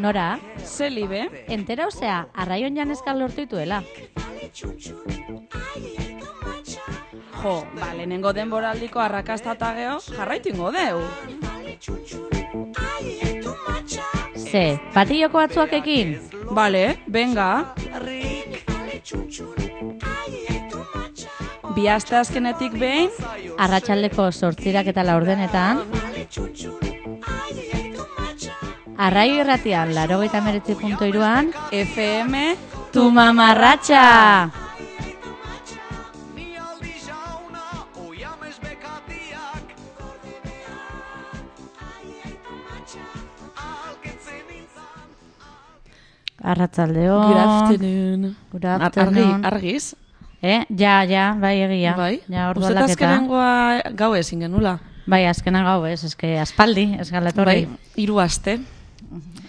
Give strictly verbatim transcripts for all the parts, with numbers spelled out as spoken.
Nora? Zelibe? Entera osea, arraion janezkal lortu dituela. Jo, ba, lehenengo denboraldiko arrakasta eta geho, jarraitu ingo deu. Ze, patilloko batzuak ekin? Bale, venga. Bi aste azkenetik behin, Arratsaldeko zortzirak eta laurdenetan. Arraio irratian, laurogeita hemeretzi puntu hiruan. F M Tu mamarratxa! Arratzaldeo. Good afternoon. Good afternoon. Argi, argiz? Eh? Ja, ja, bai egia. Bai? Ja, ordu Uztet aldaketa. azkenengoa gau ezin genula. Bai, azkenan gau ez, eske aspaldi, ez galetorri. Bai, hiru aste.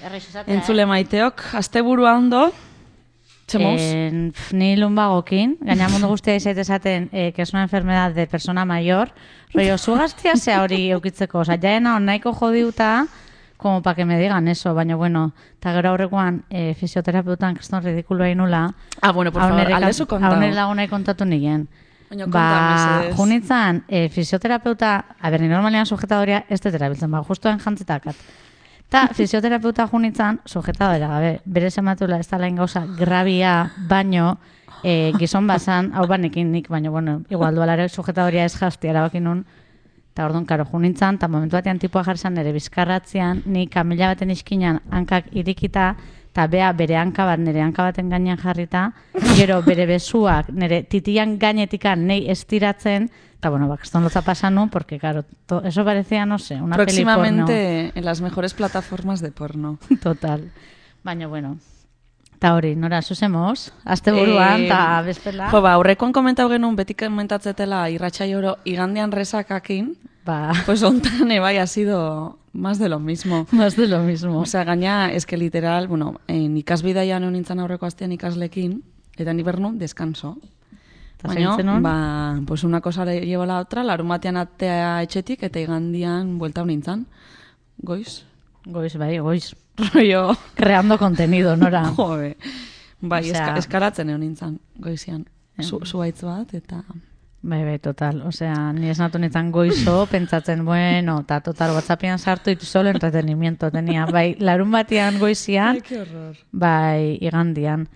Errez esatea, Entzule maiteok, asteburua ondo. Txemos? Eh, pf, ni lumbagokin, gaina mundu guztia izait esaten eh, que es una enfermedad de persona mayor, rollo, zu gaztia zea hori eukitzeko, oza, jaena on nahiko jodiuta, como pa que me digan eso, baina bueno, eta gero aurrekoan eh, fisioterapeutan kriston ridikuloa inula, Ah, bueno, por favor, aldezu kontau. haunere lagunai kontatu nigen. Baina Ba, konta, mesedez. junitzan, eh, fisioterapeuta, a ber, ni normalean sujetadoria ez dut erabiltzen, ba, justoen jantzitakat. Ta fisioterapeuta junitzan, sujetadora gabe, bere zematula ez da lain gauza grabia, baino, eh, gizon bazan, hau banekin nik, baino, bueno, igual dualare sujetadoria ez jazti erabakin nun, eta orduan, karo, junitzan, eta momentu batean tipua jarzan nire bizkarratzean, ni kamila baten iskinan hankak irikita, eta bea bere hanka bat nire hanka baten gainean jarrita, gero bere besuak nire titian gainetikan nei estiratzen, eta bueno, bakaston lotza pasan nun, porque claro, to, eso parecía, no sé, una peli porno. Próximamente en las mejores plataformas de porno. Total. Baina, bueno. Eta hori, Nora, zuzemos, azte buruan, eta Eh, bestela. Jo, ba, aurrekoan komentau genuen, beti komentatzetela irratxai oro igandean resakakin, Ba, pues ontan bai ha sido más de lo mismo. más de lo mismo. O sea, gaina, es que literal, bueno, en ikasbidaian egon nintzen aurreko astean ikaslekin, eta ni bernu, descanso. Eta Baina, segitzen nun? ba, pues una cosa le llevo a la otra, larun batean atea etxetik, eta igandian buelta nintzen. Goiz. Goiz, bai, goiz. Rollo. Creando contenido, Nora. Jode. Bai, Osea- eska, eskaratzen egon nintzen, goizian. Zu, zuaitz bat, eta... Bai, bai, total. Osea, ni esnatu nintzen goizo, pentsatzen, bueno, eta total, WhatsAppian sartu ditu solo entretenimiento tenia. Bai, larun batean goizian, qué horror. bai, igandian.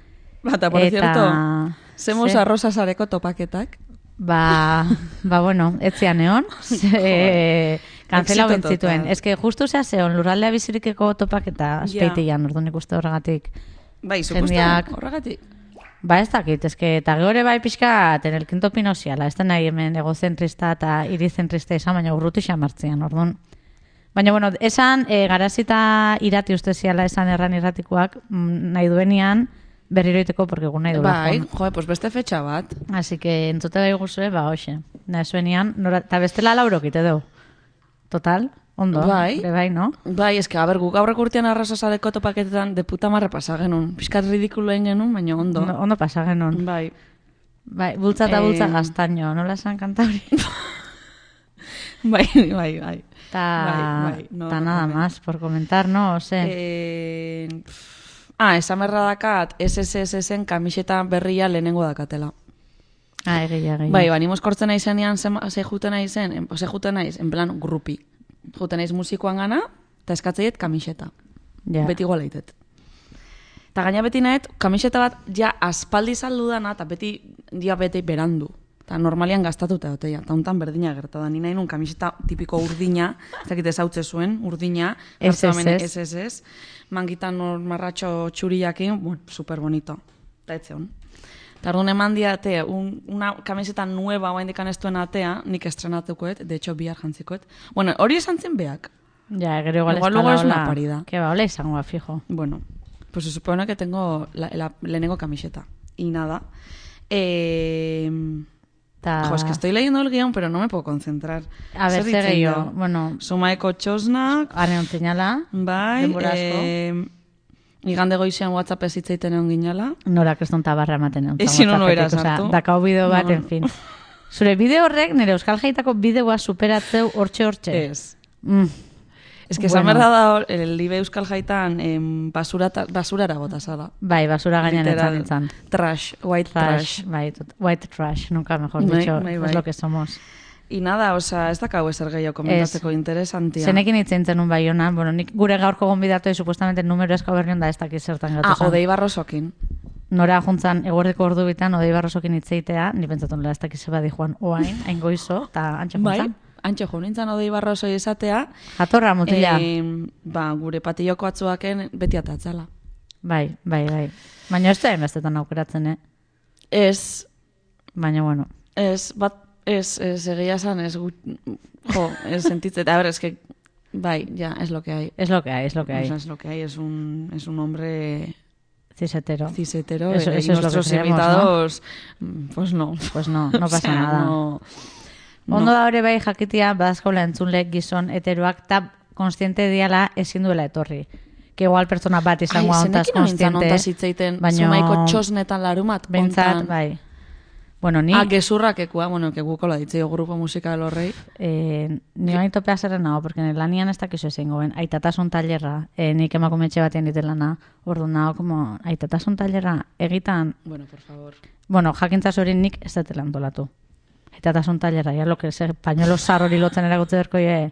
Bata, por Eta- cierto, zemos Ze- arrosa sareko topaketak. Ba, ba bueno, etzian egon, ze, kanzela Éxito bentzituen. total. Ez que justu zea zeon, lurraldea bizirikeko topak eta azpeitian, orduan ikuste horregatik. Bai, supuesto, Jendeak- horregatik. Ba, ez dakit, ez que, eta geore bai pixka, ten el quinto pinoziala, ez da nahi hemen egozentrista eta irizentrista izan, baina urruti xamartzian, orduan. Baina, bueno, esan, e, garazita irati uste ziala esan erran irratikoak, mm, nahi duenian, berriroiteko, porque gu nahi duela. Bai, joan. joe, pues beste fetxa bat. Así que entzute gai guzue, ba, hoxe. Nahi zuenian, nora, eta bestela laurokite du. Total, ondo. Bai. Be bai, no? Bai, eske, a ber, guk aurreko urtean arrosa sareko topaketetan de puta marra pasa genuen. Piskat ridikulo egin genuen, baina ondo. Ondo, ondo pasa genuen. Bai. Bai, bultza eta bultza Em. gaztaino, nola esan kanta hori? Bai, bai, bai. Ta, Bai, bai, no, ta no nada comment. más, por comentar, no? Ose. Eh, pff, ah, esan berra dakat, S S S-en kamiseta berria lehenengo dakatela. ah, egia, egia. Bai, ba, ni mozkortzen naizenean ze, ze juten naizen, en, ze juten naiz, en plan, grupi. Juten naiz musikoan gana, eta eskatzeiet kamiseta. Ja. Beti gola itet. Eta gaina beti nahet, kamiseta bat ja aspaldi saldu dana, eta beti dia beti berandu. Eta normalian gastatuta doteia. Eta hontan berdina gerta da. Ni nahi nun kamiseta tipiko urdina, ez dakit ezautze zuen, urdina. S S S. S S S. Mangitan nor marratxo txuriakin, bueno, super bonito. Eta etzeon. Eta orduan eman diate, un, una kamiseta nueva oa indikan ez duen atea, nik estrenatukoet, de hecho bihar jantzikoet. Bueno, hori esan zen beak. Ja, gero igual, Igual ez luego dala es una hola- parida. Que ba, hola izango, fijo. Bueno, pues se supone que tengo la, la lehenengo camiseta. Y nada. Eh, Ta... jo, es que estoy leyendo el guión, pero no me puedo concentrar. A ver, Zer zer ditzen gehiago. da? Bueno, Sumaeko txosnak, are ontzinala, bai, denbora asko. eh, igande goizean WhatsApp ez hitzaiten egon ginala. Nora kriston tabarra ematen egon. Ezin honu era sartu. Dakau bideo bat, No. en fin. Zure bideo horrek, nire Euskal Jaitako bideoa superatzeu hortxe-hortxe. Ez. Mm. Ez que esan berda da, el libe euskal jaitan em, basura, basurara bota zala. Bai, basura gainean etzan nintzen. Trash, white trash. trash. Bai, tot, white trash, nunca mejor bai, dicho, bai, bai. es lo que somos. Y nada, oza, ez dakau ezer gehiago komentatzeko interesantia. Zenekin itzen zenun bai hona, bueno, nik gure gaurko gonbidatu supuestamente numero eska berrion da ez dakiz zertan gatu Ah, Odei Barrosokin. Nora juntzan eguerdeko ordu bitan Odei Barrosokin itzeitea, ni pentsatu nola ez dakiz zeba di joan oain, hain goizo, eta antxe juntzan. Bai, antxe jo nintzen Odei Barrosoi esatea. Jatorra mutila. E, ba, gure patilloko atzuaken beti atatzala. Bai, bai, bai. Baina ez da enbestetan aukeratzen, eh? Ez. Baina, bueno. Ez, bat, ez, ez egia esan, ez gut, jo, ez sentitzen. A ver, es que, bai, ya, es lo que hay. Es lo que hay, es lo que hay. O sea, es lo que hay, es un, es un hombre... Cisetero. Cisetero, eso, y eso es nuestros lo que creemos, invitados, ¿no? Pues no. Pues no, no pasa o sea, nada. No, Ondo da hori bai jakitia badazkaula entzunle gizon heteroak eta konstiente diala ezin duela etorri. Que igual pertsona bat izango hontaz konstiente. Ai, zenekin hitzaiten, baino... zumaiko txosnetan larumat, bentsat, ontan. bai. Bueno, ni... Ah, gezurrak ekua, bueno, que gukola ditzeo grupo musical horrei. Eh, ni bain topea zerren nago, porque lanian ez dakizu ezin goben. Aitatasun talerra, eh, nik emakumetxe batean ditelana, ordu nago, como, aitatasun talerra egitan... Bueno, por favor. Bueno, jakintzaz hori nik ez dutela antolatu. Aitatasun talerra, ya lo que se pañuelo sarro hori lotzen eragutze berko, ye,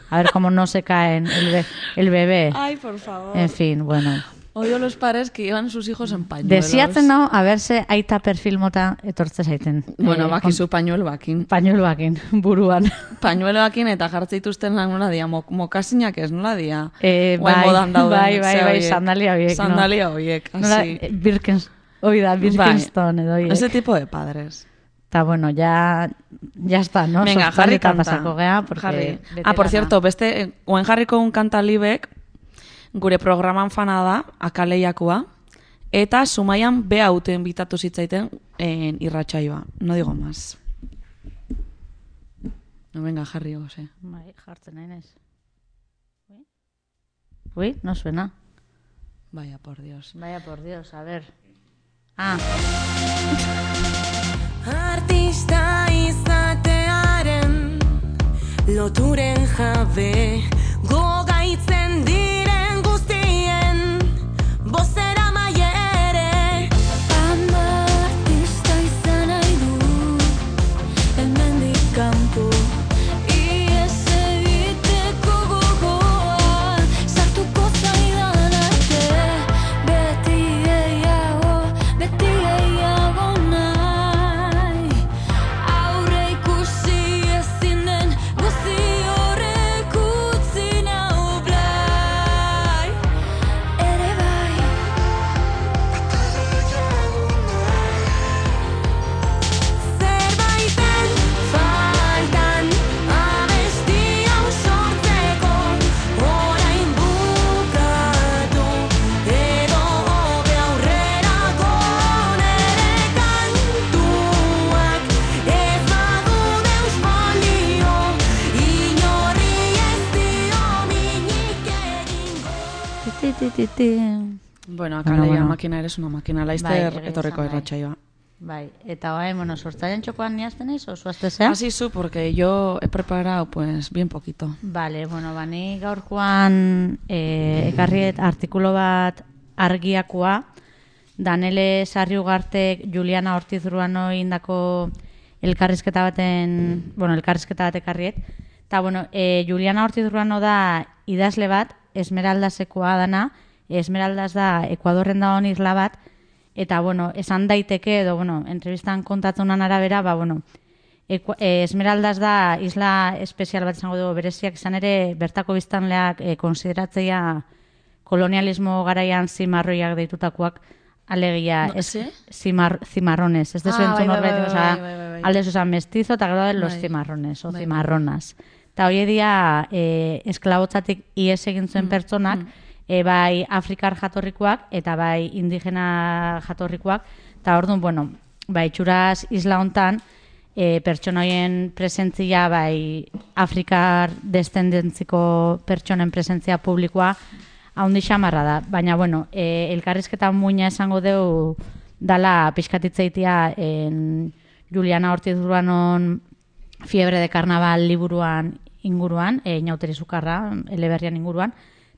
a ver cómo no se caen el, be, el bebé. Ay, por favor. En fin, bueno... Odio los padres que llevan sus hijos en pañuelos. Desiatzen dago, a verse aita perfil mota etortze zaiten. Bueno, eh, bakizu pañuelo bakin. Pañuelo bakin, buruan. Pañuelo bakin eta jartze dituzten lan nola dia, mok, mokasinak ez nola dia. Eh, bai, bai, bai, bai, sandalia horiek. Sandalia horiek, no? Así. Eh, Birkens, hoi da, Birkenstone edo horiek. Ese tipo de padres. Eta bueno, ya, ya está, ¿no? Venga, jarri kanta. Pasako gea, porque... Jarri. Ah, por cierto, beste, oen jarriko un kanta libek, gure programan fana da, akaleiakua, eta Zumaian be hauten bitatu zitzaiten en irratsaioa. No digo más. No, venga, jarri goze. Bai, jartzen nahi nez. Uy? Uy, no suena. Vaya por Dios. Vaya por Dios, a ver. Ah. Artista izatearen loturen jabe gogaitzen diren guztien bozera maiere ama artista izan nahi du hemendik kanpo ies egiteko gogoa sartuko zaidan arte beti gehiago beti gehiago nahi aurre ikusi ezin den guzti horrek utzi nau blai ere bai zerbaiten faltan abesti hau sortzeko orain bukatu edo hobe aurrerako nere kantuak ez badude euspolio inorri ez dio minik egingo. Ti, ti, ti, ti. Bueno, Bueno, akaleia bueno. makina eres una makina, laizter Bai, egia etorreko esan, bai. irratsaioa. Bai, eta bai, bueno, sortzaian txokoan niazten eiz, oso aztezea? Así su, porque yo he preparado pues bien poquito. Vale, bueno, bani gaurkoan eh, ekarriet artikulo bat argiakoa, Danele Sarriugartek Juliana Ortiz Ruano indako elkarrizketa baten, bueno, elkarrizketa bat ekarriet. Eta, bueno, eh, Juliana Ortiz Ruano da idazle bat, Esmeraldasekoa dana, Esmeraldas da Ekuadorren dagoen isla bat, eta, bueno, esan daiteke, edo, bueno, entrevistan kontatzunan arabera, ba, bueno, Eku, eh, Esmeraldas da isla espezial bat izango dugu bereziak izan ere bertako biztanleak eh, konsideratzea kolonialismo garaian zimarroiak deitutakoak alegia No, es, ¿sí? zimar, zimarrones. Ez dezu Ah, entzun bai, bai, norbait, bai, osea, bai, bai, bai, bai. aldez osan mestizo eta gero los Bai. zimarrones o Bai, bai. zimarronas. Eta hori dia eh, esklabotzatik ies egin zuen pertsonak, eh, bai afrikar jatorrikoak eta bai indigena jatorrikoak, eta orduan, bueno, bai itxuraz isla hontan, e, pertsona horien presentzia, bai afrikar descendentziko pertsonen presentzia publikoa haundi xamarra da. Baina, bueno, e, elkarrizketa muina esango deu dala pixkatitzeitia en Juliana Ortiz Urbanon Fiebre de Carnaval liburuan inguruan, e, inauteri sukarra, eleberrian inguruan.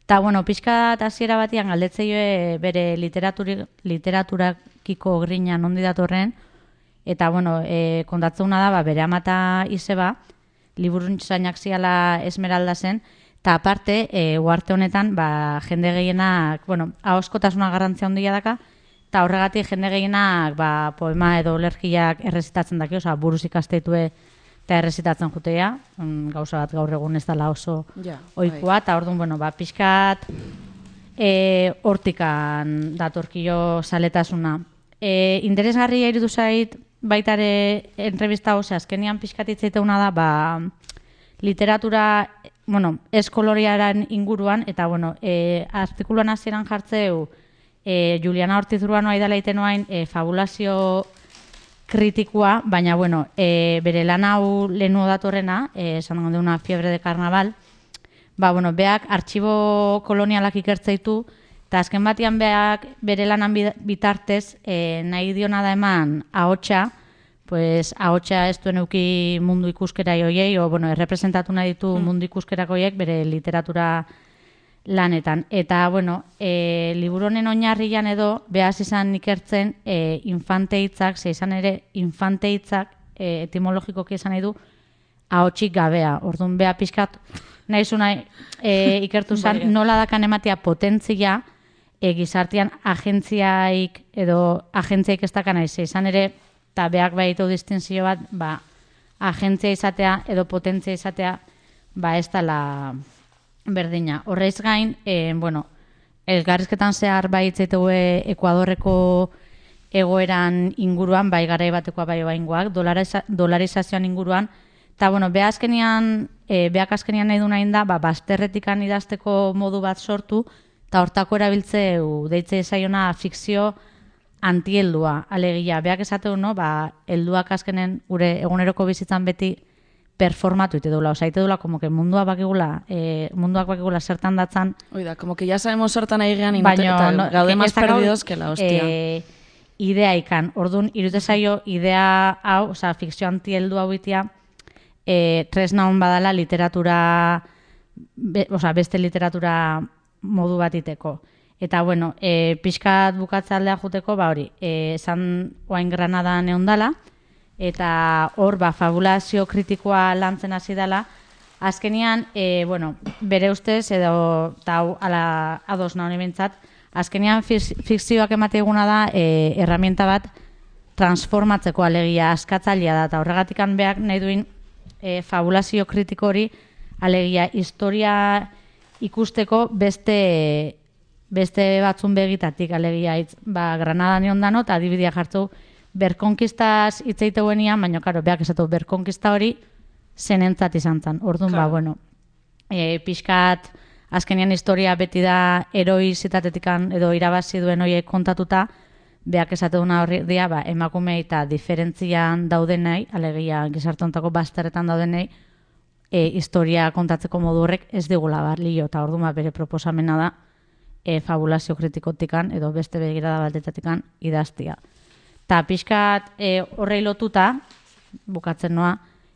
Eta, bueno, pixka eta hasiera batian galdetzeioe bere literaturi, literaturakiko grina nondi datorren, eta, bueno, e, kontatzeuna da, ba, bere amata izeba, liburuntxainak ziala Esmeralda zen, eta aparte, e, uarte honetan, ba, jende gehienak, bueno, ahoskotasuna garrantzia handia daka, eta horregatik jende gehienak ba, poema edo olerkiak errezitatzen daki, oza, buruz ikastetue eta errezitatzen jutea, mm, gauza bat gaur egun ez dela oso Ja, ohikoa, eta orduan, bueno, ba, pixkat e, hortikan datorkio saletasuna. E, interesgarria iritu zait, baitare entrevista hau, azkenian pixkat itzaiteuna da, ba, literatura, bueno, eskoloriaren inguruan, eta, bueno, e, artikuluan hasieran jartzeu, e, Juliana Ortiz Urbanoa idala itenuain e, fabulazio kritikoa, baina, bueno, e, bere lan hau lehenu datorrena, e, esan una fiebre de carnaval, ba, bueno, beak artxibo kolonialak ikertzeitu, eta azken batian beak bere lanan bitartez e, nahi diona da eman ahotsa, pues ahotsa ez duen euki mundu ikuskera joiei, o, bueno, errepresentatu nahi ditu mm. mundu ikuskerako joiek bere literatura lanetan. Eta, bueno, e, liburu honen oinarrian edo, behaz izan ikertzen e, infante hitzak, ze izan ere infante hitzak e, etimologikoki izan nahi du ahotsik gabea. Orduan, beha pixkat, nahi zuna e, ikertu zen, nola dakan ematea potentzia e, gizartean agentziaik edo agentziaik ez dakan nahi, ze izan ere, eta behak behitu distinzio bat, ba, agentzia izatea edo potentzia izatea, ba, ez dela berdina. Horreiz gain, e, bueno, elgarrizketan zehar baitzeteue Ekuadorreko egoeran inguruan, bai garai batekoa bai baingoak, dolariza, dolarizazioan inguruan, eta, bueno, beha azkenian, e, beak azkenian nahi du nahi da, ba, bazterretikan idazteko modu bat sortu, eta hortako erabiltzeu, deitze zaiona fikzio antiheldua, alegia. Beak esateu, no, ba, helduak azkenen gure eguneroko bizitzan beti performatu ite dula, oza, ite dula, como que mundua bakigula, eh, munduak bakigula zertan datzan. Oida, como que ya sabemos zertan ari gean, baina, no, gaude más perdidos que la hostia. Eh, idea ikan, orduan, irute zaio, idea hau, oza, fikzio antiheldu hau itia, eh, tresna hon badala literatura, be, oza, beste literatura modu bat iteko. Eta, bueno, e, pixkat bukatza aldea juteko, ba hori, e, esan oain Granadan eondala, eta hor, ba, fabulazio kritikoa lantzen hasi dela, azkenian, e, bueno, bere ustez, edo, eta hau, ala ados nahi bintzat, azkenian fikzioak emate eguna da, e, erramienta bat transformatzeko alegia, askatzailea da, eta horregatik beak nahi duin e, fabulazio kritiko hori, alegia, historia ikusteko beste beste batzun begitatik, alegia, itz, ba, Granadan egon dano, eta adibidea jartzu, berkonkistaz itzeiteuenian, baina, karo, beak esatu, berkonkista hori zenentzat izan zen. Orduan, ba, bueno, e, pixkat, azkenian historia beti da heroi zitatetikan edo irabazi duen horiek kontatuta, beak esatuna horri dia, ba, emakume eta diferentzian daudenei, alegia, gizartontako bazterretan daudenei, e, historia kontatzeko modu horrek ez digula balio, eta orduan, ba, bere proposamena da, E, fabulazio kritikotikan edo beste begirada baldetatikan idaztia. Ta pixkat e, horrei lotuta, bukatzen noa,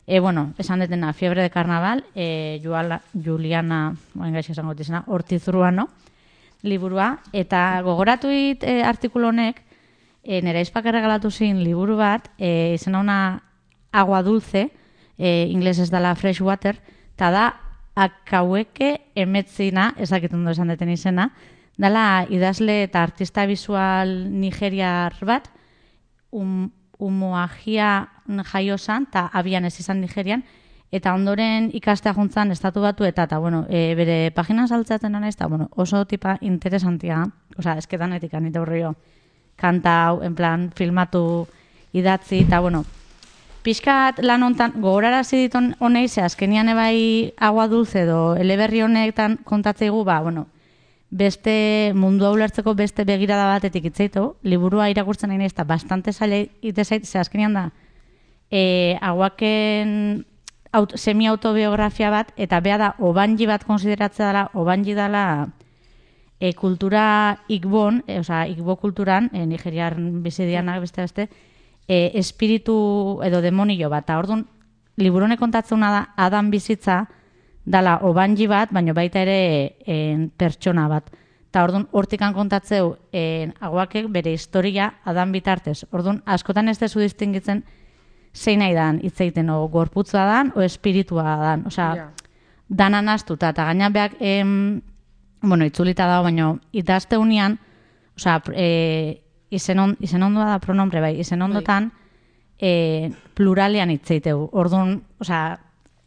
e, bueno, esan detena, fiebre de carnaval, e, Juala, Juliana, oain gaixo esango dizena, Ortiz Urbano, liburua, eta gogoratu dit e, artikulu honek, e, nera izpak erregalatu zin liburu bat, e, izena una agua dulce, e, ingles ez dela fresh water, eta da, akaueke emetzina, ezakitun esan deten izena, dala idazle eta artista visual nigeriar bat, um, umuagia jaio zan, eta abian ez izan Nigerian, eta ondoren ikastea juntzan estatu batu eta, eta bueno, e, bere paginan saltzatzen nana ez, eta bueno, oso tipa interesantia, oza, esketan etikan, eta horrio, kanta hau, en plan, filmatu idatzi, eta bueno, pixkat lan hontan, gogorarazi diton honei, ze azkenian ebai agua dulce edo eleberri honetan kontatzeigu, ba, bueno, beste mundu ulertzeko beste begirada batetik itzeitu, liburua irakurtzen nahi nahiz, eta bastante zaila itezait, ze azkenian da, e, aguaken aut, semi-autobiografia bat, eta beha da, obanji bat konsideratzea dela, obanji dela e, kultura ikbon, e, oza, ikbo kulturan, e, nigeriar bizidianak beste beste, e, espiritu edo demonio bat, eta orduan, liburone kontatzuna da, Adam bizitza, dala obanji bat, baina baita ere en, pertsona bat. Eta orduan, hortikan kontatzeu, en, aguakek bere historia adan bitartez. Orduan, askotan ez dezu distingitzen zein nahi dan hitz egiten, o gorputza dan, o espiritua dan. Osea, Ja. danan astuta, eta gaina beak, em, bueno, itzulita dago, baina idazte unian, osea, e, izen, on, izen ondoa da pronombre, bai, izen ondotan, e, pluralean hitz egiteu. Orduan, osea,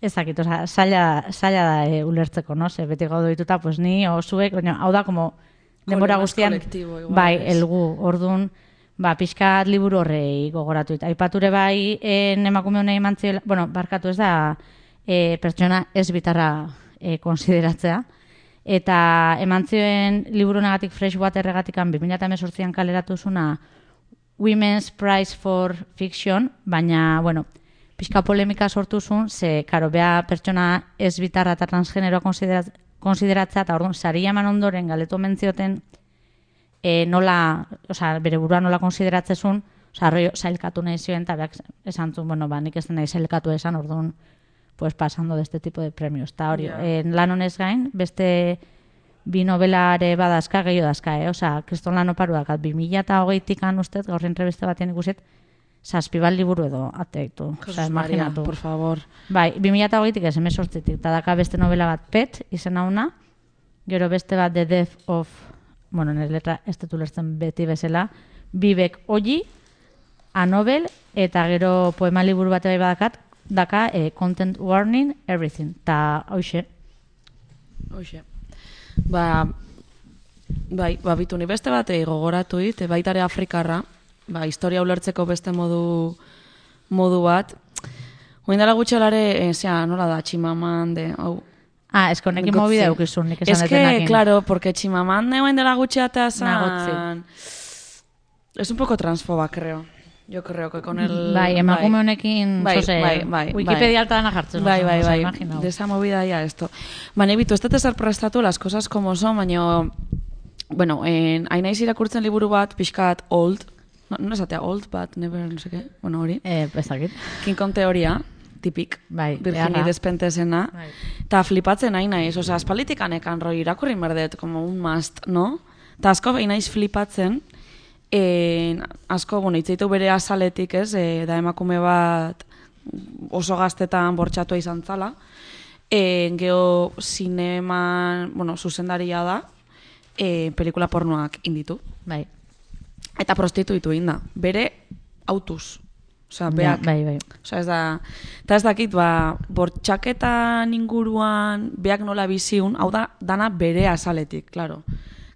ez dakit, osea, zaila, zaila da e, ulertzeko, no? Ze beti gaudu dituta, pues ni, o zuek, baina, hau da, como, denbora Kolema guztian, kolektibo, igual, bai, ez. elgu, orduan, ba, pixkat liburu horrei gogoratu. Eta aipature bai, en emakume honei emantzioela, bueno, barkatu ez da, e, pertsona ez bitarra e, konsideratzea. Eta emantzioen liburu negatik Freshwaterregatikan bi mila hemezortzian kaleratu zuna Women's Prize for Fiction, baina, bueno, pixka polemika sortu zuen, ze, karo, bea pertsona ez bitarra eta transgeneroa konsiderat, konsideratzea, eta orduan, saria eman ondoren galetu mentzioten e, nola, osea, bere burua nola konsideratzezun, osea, arroio zailkatu nahi zioen, eta beak esan zuen, bueno, ba, nik ez nahi zailkatu esan, orduan, pues pasando de este tipo de premios. Eta hori, Ja. yeah. lan honez gain, beste bi novelare badazka, gehiago dazka, eh? Osea, kriston lan oparu dakat, bi mila eta hogeitik-an ustez, gaur entreviste batean ikuset, zazpibal liburu edo ateitu. Osea, Jesus Maria, imaginatu. por favor. Bai, bi mila eta hogeitik ez, hemezortzitik, eta daka beste novela bat Pet, izena una, gero beste bat The Death of, bueno, nire letra ez dut ulertzen beti bezala, Bibek Oji, A Novel, eta gero poema liburu bat bai badakat, daka eh, Content Warning, Everything, eta hoxe. Hoxe. Ba, bai, ba, bitu ni beste batei gogoratu dit, baitare Afrikarra, ba, historia ulertzeko beste modu modu bat. Oin dela gutxelare, e, zera, nola da, Chimamande, hau. Ah, ez konekin Gotze. mobide eukizun, nik esan Es que, detenakin. claro, porque Chimamande oin dela gutxeatea Nagotzi. zan... Es un poco transfoba, creo. Yo creo que con el... Bai, emakume honekin, Bai, zose, bai, bai, Wikipedia altana jartzen. Bai, bai, bai, Imaginau. de esa movida ya esto. Baina, bitu, ez dut ezer prestatu las cosas como son, baina, bueno, en, hain naiz irakurtzen liburu bat, pixkat old, no, no esatea old, but never, no sé qué, bueno, hori, Eh, ez dakit. King Kong teoria, tipik, Bai, Virginia beharra. Despentesena, Bai. eta flipatzen hain naiz, osea, aspalditik anekan roi irakurri merdet, como un must, no? Eta asko hain naiz flipatzen, en, asko, bueno, itzeitu bere azaletik, ez, e, da emakume bat oso gaztetan bortxatua izan zala, e, geho zineman, bueno, zuzendaria da, e, pelikula pornoak inditu, Bai. eta prostituitu inda, bere autuz. Osea, Ja, beak, bai, bai. Osea, ez da, eta ez dakit, ba, bortxaketan inguruan beak nola biziun, hau da, dana bere azaletik, claro.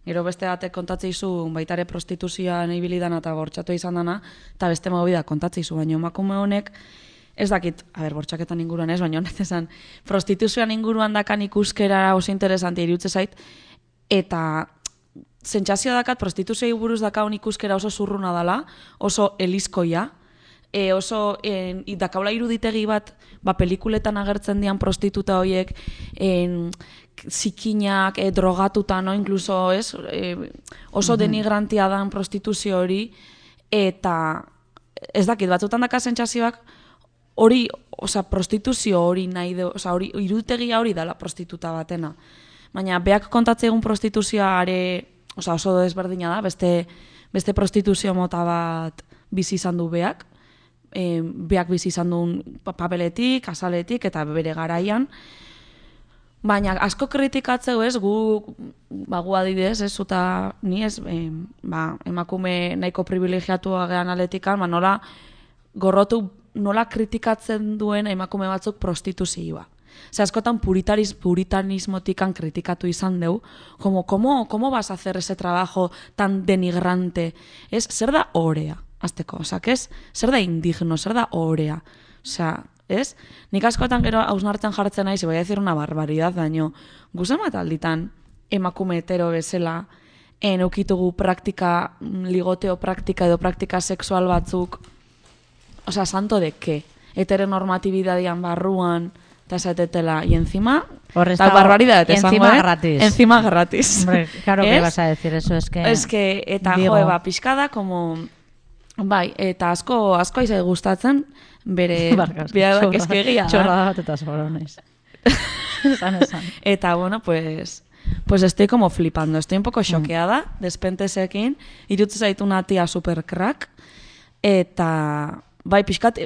Gero beste batek kontatzeizu baitare prostituzioan ibili dana eta bortxatu izan dana, eta beste movida kontatzeizu, baina emakume honek, ez dakit, a ber, bortxaketan inguruan ez, baina honet esan, prostituzioan inguruan dakan ikuskera oso interesante irutze zait, eta sentsazioa dakat prostituzioi buruz dakaun ikuskera oso zurruna dala, oso elizkoia, e, oso en, dakaula iruditegi bat, ba, pelikuletan agertzen dian prostituta horiek, en, zikinak, e, drogatuta, no, incluso, ez, e, oso denigrantia dan prostituzio hori, eta ez dakit, batzutan daka sentsazioak hori, osea, prostituzio hori nahi de, osea, hori, irutegia hori dala prostituta batena. Baina, beak kontatze egun prostituzioa are, osea, oso desberdina da, beste, beste prostituzio mota bat bizi izan du beak, e, beak bizi izan duen papeletik, azaletik, eta bere garaian, baina asko kritikatzeu ez, gu, ba, gu adidez, ez, zuta ni ez, e, ba, emakume nahiko privilegiatua gehan aletikan, ba, nola gorrotu, nola kritikatzen duen emakume batzuk prostituzioa. Ze askotan puritariz, puritanismotikan kritikatu izan deu, como, ¿cómo, cómo vas a hacer ese trabajo tan denigrante? Ez, zer da orea, azteko, osak ez, zer da indigno, zer da orea, osea, ez? Nik askotan gero hausnartzen jartzen naiz, voy a decir una barbaridad, baino, guzen bat alditan emakume hetero bezala, en eukitugu praktika, ligoteo praktika edo praktika sexual batzuk, osea, santo de qué? Heteronormatibidadian barruan, eta esatetela, y encima, Horrez tal dago, barbaridad, y esango, encima eh? gratis. Encima gratis. Hombre, claro que Ez? vas a decir eso, es que... Es que, eta digo. jo, eba, pixkada, como... Bai, eta asko, asko aizai gustatzen, bere... Barkaz, bera, txorra- eske egia da. Txorra bat eta sobronez. Esan, esan. Eta, bueno, pues... Pues estoy como flipando, estoy un poco choqueada, mm. despentesekin, irutu zaitu una tía super crack, eta, bai, pixkat,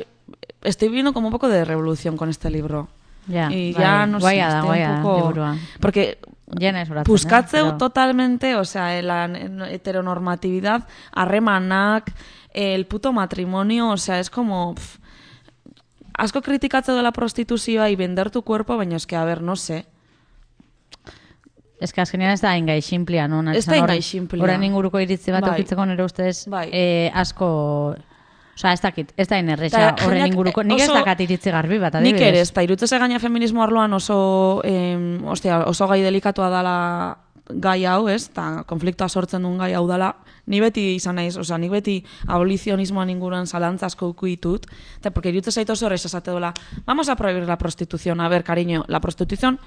estoy viendo como un poco de revolución con este libro. Ya, y bai, ya, no sé, guaia da, estoy guaia un da, poco... liburua. Porque Jena ez horatzen, puskatzeu eh, pero... totalmente, o sea, la heteronormatividad, harremanak, el puto matrimonio, o sea, es como... Pff, asko kritikatzeu de la prostituzioa y vender tu cuerpo, baina es que, a ver, no sé... Ez que azkenean ez da ingai xinplia, no? Ez da ingai xinplia. Horren inguruko iritzi bat Bai. eukitzeko nire ustez Bai. eh, asko... Osa, ez dakit, ez da inerrexa Ta, horren jendeak, inguruko... eh, Nik ez oso- dakat iritzi garbi bat, adibidez. Nik ere, ez da, irutzeze gaina feminismo arloan oso, em, ostia, oso gai delikatua dala gai hau, ez? Ta konfliktoa sortzen duen gai hau dala. Ni beti izan naiz, osea, nik beti abolizionismoan inguruan zalantza asko uku ditut, eta porque irutzez zait oso horrez esate dola, vamos a prohibir la prostitución, a ver, cariño, la prostitución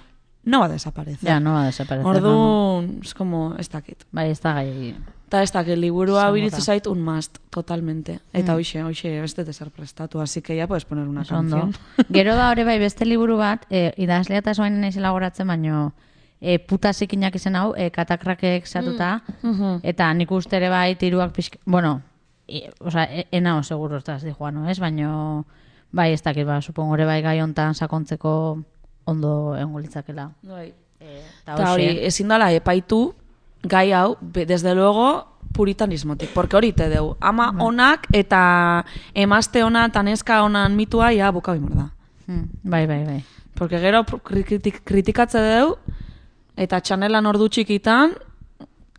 no va a desaparecer. Ja, no va a desaparecer. no, no. Orduan, es como, ez dakit. Bai, ez da gai... Eta ez dakit, liburua Zamorra. iritzu zait un must, totalmente. Eta Mm. hoxe, hoxe, beste de ser prestatu, así que ya puedes poner una Oso ondo. canción. Gero da hori bai beste liburu bat, e, idazlea eta soain naizela goratzen, baino e, puta zikinak izen hau, e, katakrakek zatuta, Mhm. eta nik uste ere bai tiruak pixka... Bueno, e, oza, e, enao seguro ez da ez dijoa, no, ez? Baino, bai, ez dakit, ba, supongo ere bai gai hontan sakontzeko ondo egongo litzakela. Bai. E, Eta hori, ezin dala epaitu gai hau, be- desde luego, puritanismotik. Porque hori te deu, ama onak eta emazte ona eta neska onan mitua, ja, buka bimor da. Hmm, bai, bai, bai. Porque gero kritik, kritikatze deu, eta txanelan ordu txikitan,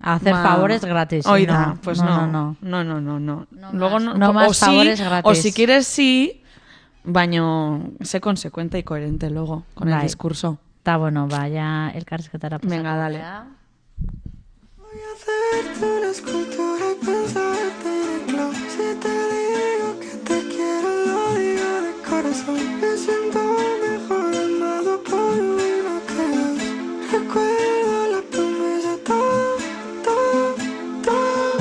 Hacer ba, favores gratis. Hoi no, da, pues no. no. no, No, no, no, no. No Luego más- no, no o más sí, favores gratis. O si quieres sí, baño sé consecuente y coherente luego con el Bai. discurso. Eta, bueno, ba, ja elkarrizketara pasako. Venga, dale. gara. Voy a hacerte una escultura y pensarte en el globo. Si te digo que te quiero, lo digo de corazón. Me siento mejor amado por uno que dos. Recuerdo la promesa, todo, todo, todo.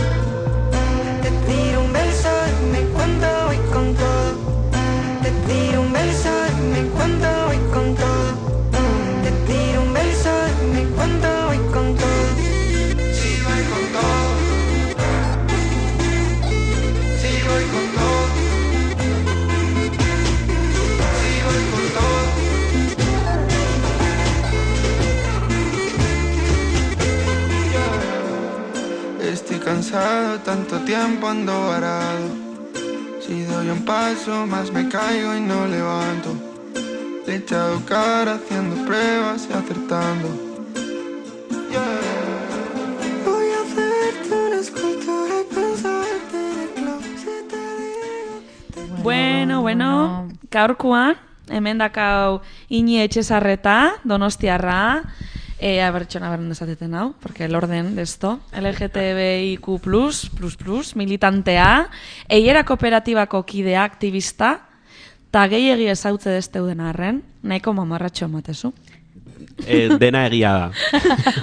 Te tiro un beso y me cuento voy con todo. Te tiro un beso y me cuento voy con todo. Te tiro un beso y me cuento voy con todo. Sí, voy con todo. Sí, voy con todo. Sí, voy con todo. Estoy cansado, tanto tiempo ando varado. Si doy un paso más me caigo y no levanto. Le he echado cara haciendo pruebas y acertando. Yeah. Voy a hacerte una escultura y pensarte en el globo. Si te digo que te Bueno, bueno, gaurkoan, hemen dakau Ini Etxezarreta, Donostiarra, eh, a ver, txona berren desateten hau, porque el orden de esto, L G T B I Q plus, plus, plus, militantea, eiera kooperatibako kidea, aktivista, ta gehiegi ezautze desteuden arren, nahiko mamarratxo ematezu. Eh, dena egia da.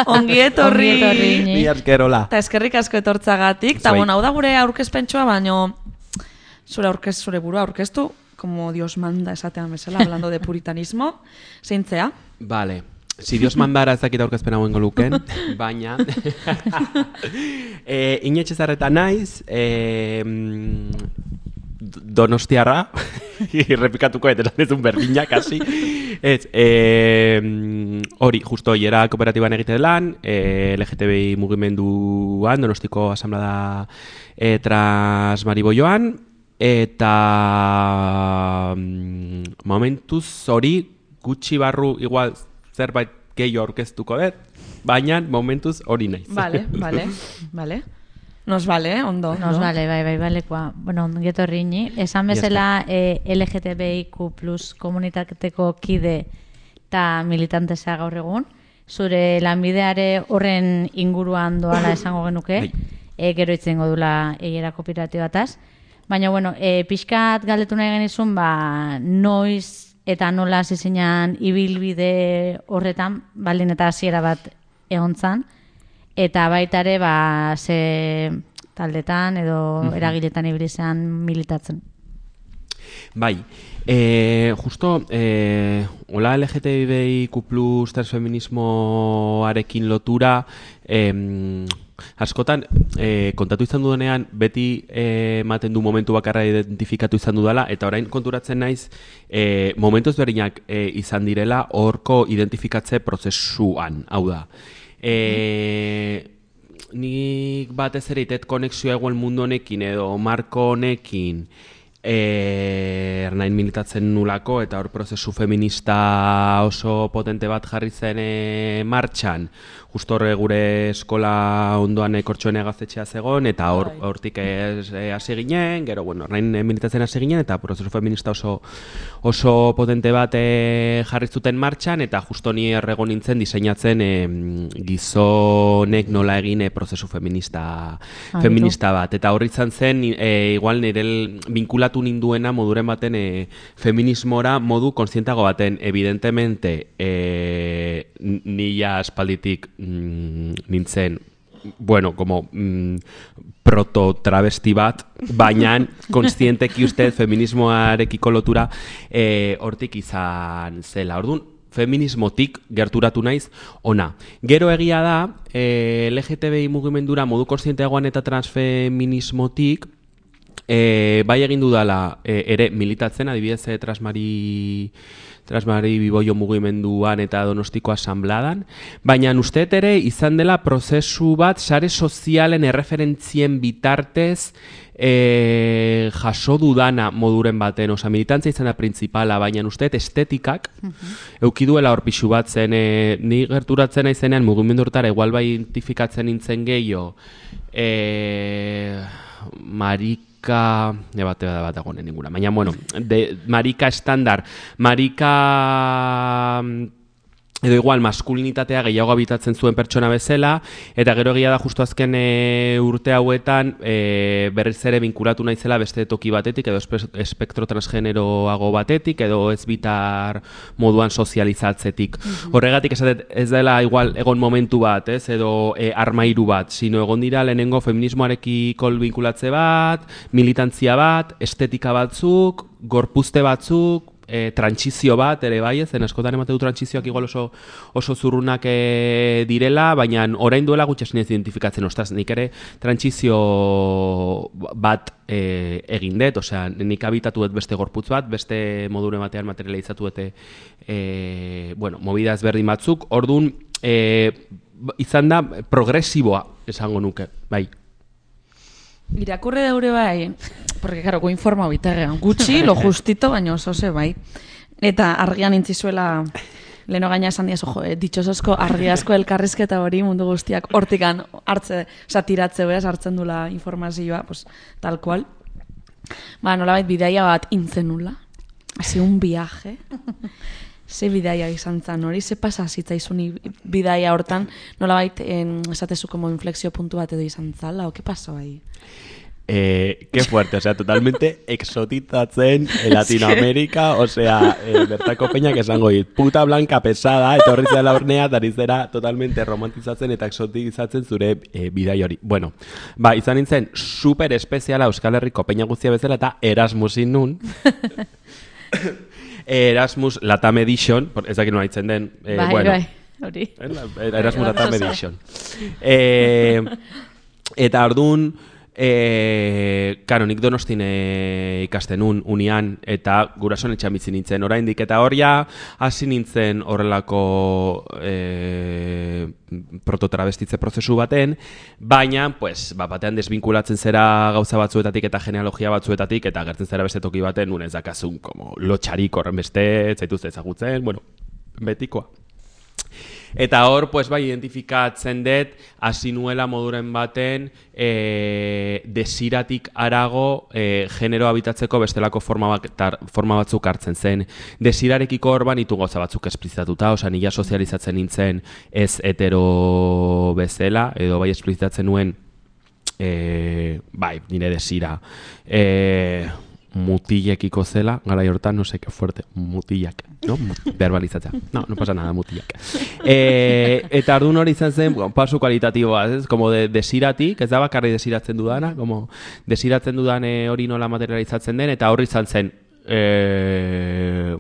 Ongi etorri! Ongi etorri, Ini. Ni askerola. Eta eskerrik asko etortzagatik, eta Zuei. bueno, hau da gure aurkezpentsua, baino zure aurkez, zure burua aurkeztu, como Dios manda esatean bezala, hablando de puritanismo, zeintzea. Vale. Si Dios mandara ez dakit aurkezpen hauen goluken, baina... eh, Ini Etxezarreta naiz, eh, mm, Donostiarra, irrepikatuko etelan ez un berdina, kasi. Ez, eh, mm, hori, justo hiera kooperatiban egite lan, eh, L G T B I mugimenduan, Donostiko asamblea eh, Transmariboioan, eta mm, momentuz hori gutxi barru igual zerbait gehiago aurkeztuko dut, baina momentuz hori naiz. Vale, vale, vale. Nos vale, eh? Ondo. Nos ondo. vale, bai, bai, balekoa. Bueno, ongi etorri Ini. Esan bezala eh, L G T B I Q plus komunitateko kide eta militantesa gaur egun. Zure lanbideare horren inguruan doala esango genuke. Bai. E, gero itzengo dula eiera kooperatibataz. Baina, bueno, e, pixkat galdetu nahi genizun, ba, noiz eta nola zizinan ibilbide horretan, baldin eta hasiera bat egon zan, eta baita ere, ba, ze taldetan edo eragiletan ibili zean militatzen. Bai, E, justo, e, hola L G T B I Q plus transfeminismoarekin lotura, em, askotan, e, kontatu izan dudanean, beti e, ematen du momentu bakarra identifikatu izan dudala, eta orain konturatzen naiz, e, momentu ezberdinak e, izan direla horko identifikatze prozesuan, hau da. E, nik batez ere itet konexioa egoen mundu honekin edo marko honekin, E, ernain militatzen nulako eta hor prozesu feminista oso potente bat jarri zen e, martxan. Justo horre gure eskola ondoan e, Kortxoene gaztetxea zegoen eta hor, hortik ez, e, hasi ginen, gero bueno, ernain e, militatzen hasi ginen eta prozesu feminista oso, oso potente bat e, jarri zuten martxan eta justo ni errego nintzen diseinatzen e, gizonek nola egin e, prozesu feminista, feminista bat. Eta horri izan zen, e, igual nire vinkulatu ninduena moduren baten e, feminismora modu kontzientago baten. Evidentemente, e, nila aspalditik mm, nintzen, bueno, como mm, proto-travesti bat, baina kontzienteki uste feminismoarekiko lotura e, hortik izan zela. Orduan, feminismotik gerturatu naiz ona. Gero egia da, e, L G T B I mugimendura modu kontzienteagoan eta transfeminismotik E, bai egin dudala e, ere militatzen, adibidez e, Transmari, Transmari Biboio mugimenduan eta Donostiko asambladan, baina usteet ere izan dela prozesu bat sare sozialen erreferentzien bitartez e, jaso dudana moduren baten, oza, militantzia izan da principala, baina usteet estetikak uh-huh. euki duela hor pixu bat zen, e, ni gerturatzen naizenean mugimendu hortara igual bai identifikatzen nintzen gehiago, e, marik ne bat bat agonen ninguna, baina, bueno, de, marika estandar, marika edo igual maskulinitatea gehiago habitatzen zuen pertsona bezala, eta gero egia da justu azken e, urte hauetan e, berriz ere vinkulatu naizela beste toki batetik, edo espektro transgeneroago batetik, edo ez bitar moduan sozializatzetik. Mm-hmm. Horregatik esatet ez dela igual egon momentu bat, ez, edo e, armairu bat, sino egon dira lehenengo feminismoarekiko vinkulatze bat, militantzia bat, estetika batzuk, gorpuzte batzuk, E, trantsizio bat ere bai, zen askotan emate du trantsizioak igual oso, oso zurrunak e, direla, baina orain duela gutxi ez identifikatzen, ostras, nik ere trantsizio bat e, egin dut, osea, nik habitatu dut beste gorputz bat, beste modure batean materializatu dut e, bueno, movida ezberdin batzuk, orduan e, izan da progresiboa esango nuke, bai. Irakurre daure bai, porque claro, go informa bitarrean gutxi, lo justito, baina oso ze bai. Eta argian intzizuela, leno gaina esan diazu, jo, ditxosozko argi asko elkarrizketa hori mundu guztiak hortikan hartze, satiratze beraz hartzen dula informazioa, pues, tal cual. Ba, nolabait bidaia bat intzenula, hasi un viaje. Ze bidaia izan zan hori, ze pasa zitzaizun bidaia hortan, nolabait esatezu como inflexio puntu bat edo izan zala, o ke pasó ahí? Eh, qué fuerte, o sea, totalmente exotizatzen en Latinoamérica, o sea, eh, bertako peñak esango dit, puta blanca pesada, etorri zela hornea, eta zera totalmente romantizatzen eta exotizatzen zure eh, bidai hori. Bueno, ba, izan nintzen super espeziala Euskal Herriko peña guztia bezala eta Erasmusin nun. Erasmus Latam Edition, ez dakit nola itzen den, eh, bai, bueno, bai, hori. Erasmus Latam Edition. Eh, eta ordun, eh, karo, nik Donostin eh, ikasten un, unian, eta gurasoan etxan bizi nintzen oraindik, eta hor ja hasi nintzen horrelako eh, prototravestitze prozesu baten, baina, pues, ba, batean desbinkulatzen zera gauza batzuetatik eta genealogia batzuetatik, eta gertzen zera beste toki baten, nun ez dakazun, como lotxarik horren beste, zaituz ezagutzen, bueno, betikoa. Eta hor, pues, bai, identifikatzen dut, hasi nuela moduren baten, e, desiratik arago e, genero habitatzeko bestelako forma, bat, forma batzuk hartzen zen. Desirarekiko hor banitu gauza batzuk esplizitatuta, oza, nila sozializatzen nintzen ez hetero bezala, edo bai esplizitatzen nuen, e, bai, nire desira, e, mutilekiko zela, gara hortan, no sé, que fuerte, mutilak, no? Verbalizatzea. No, no pasa nada, mutilak. E, eta ardun hori izan zen, bueno, pasu kualitatiboa, ez? Como de desiratik, ez da bakarri desiratzen dudana, como desiratzen dudan hori nola materializatzen den, eta horri izan zen, e,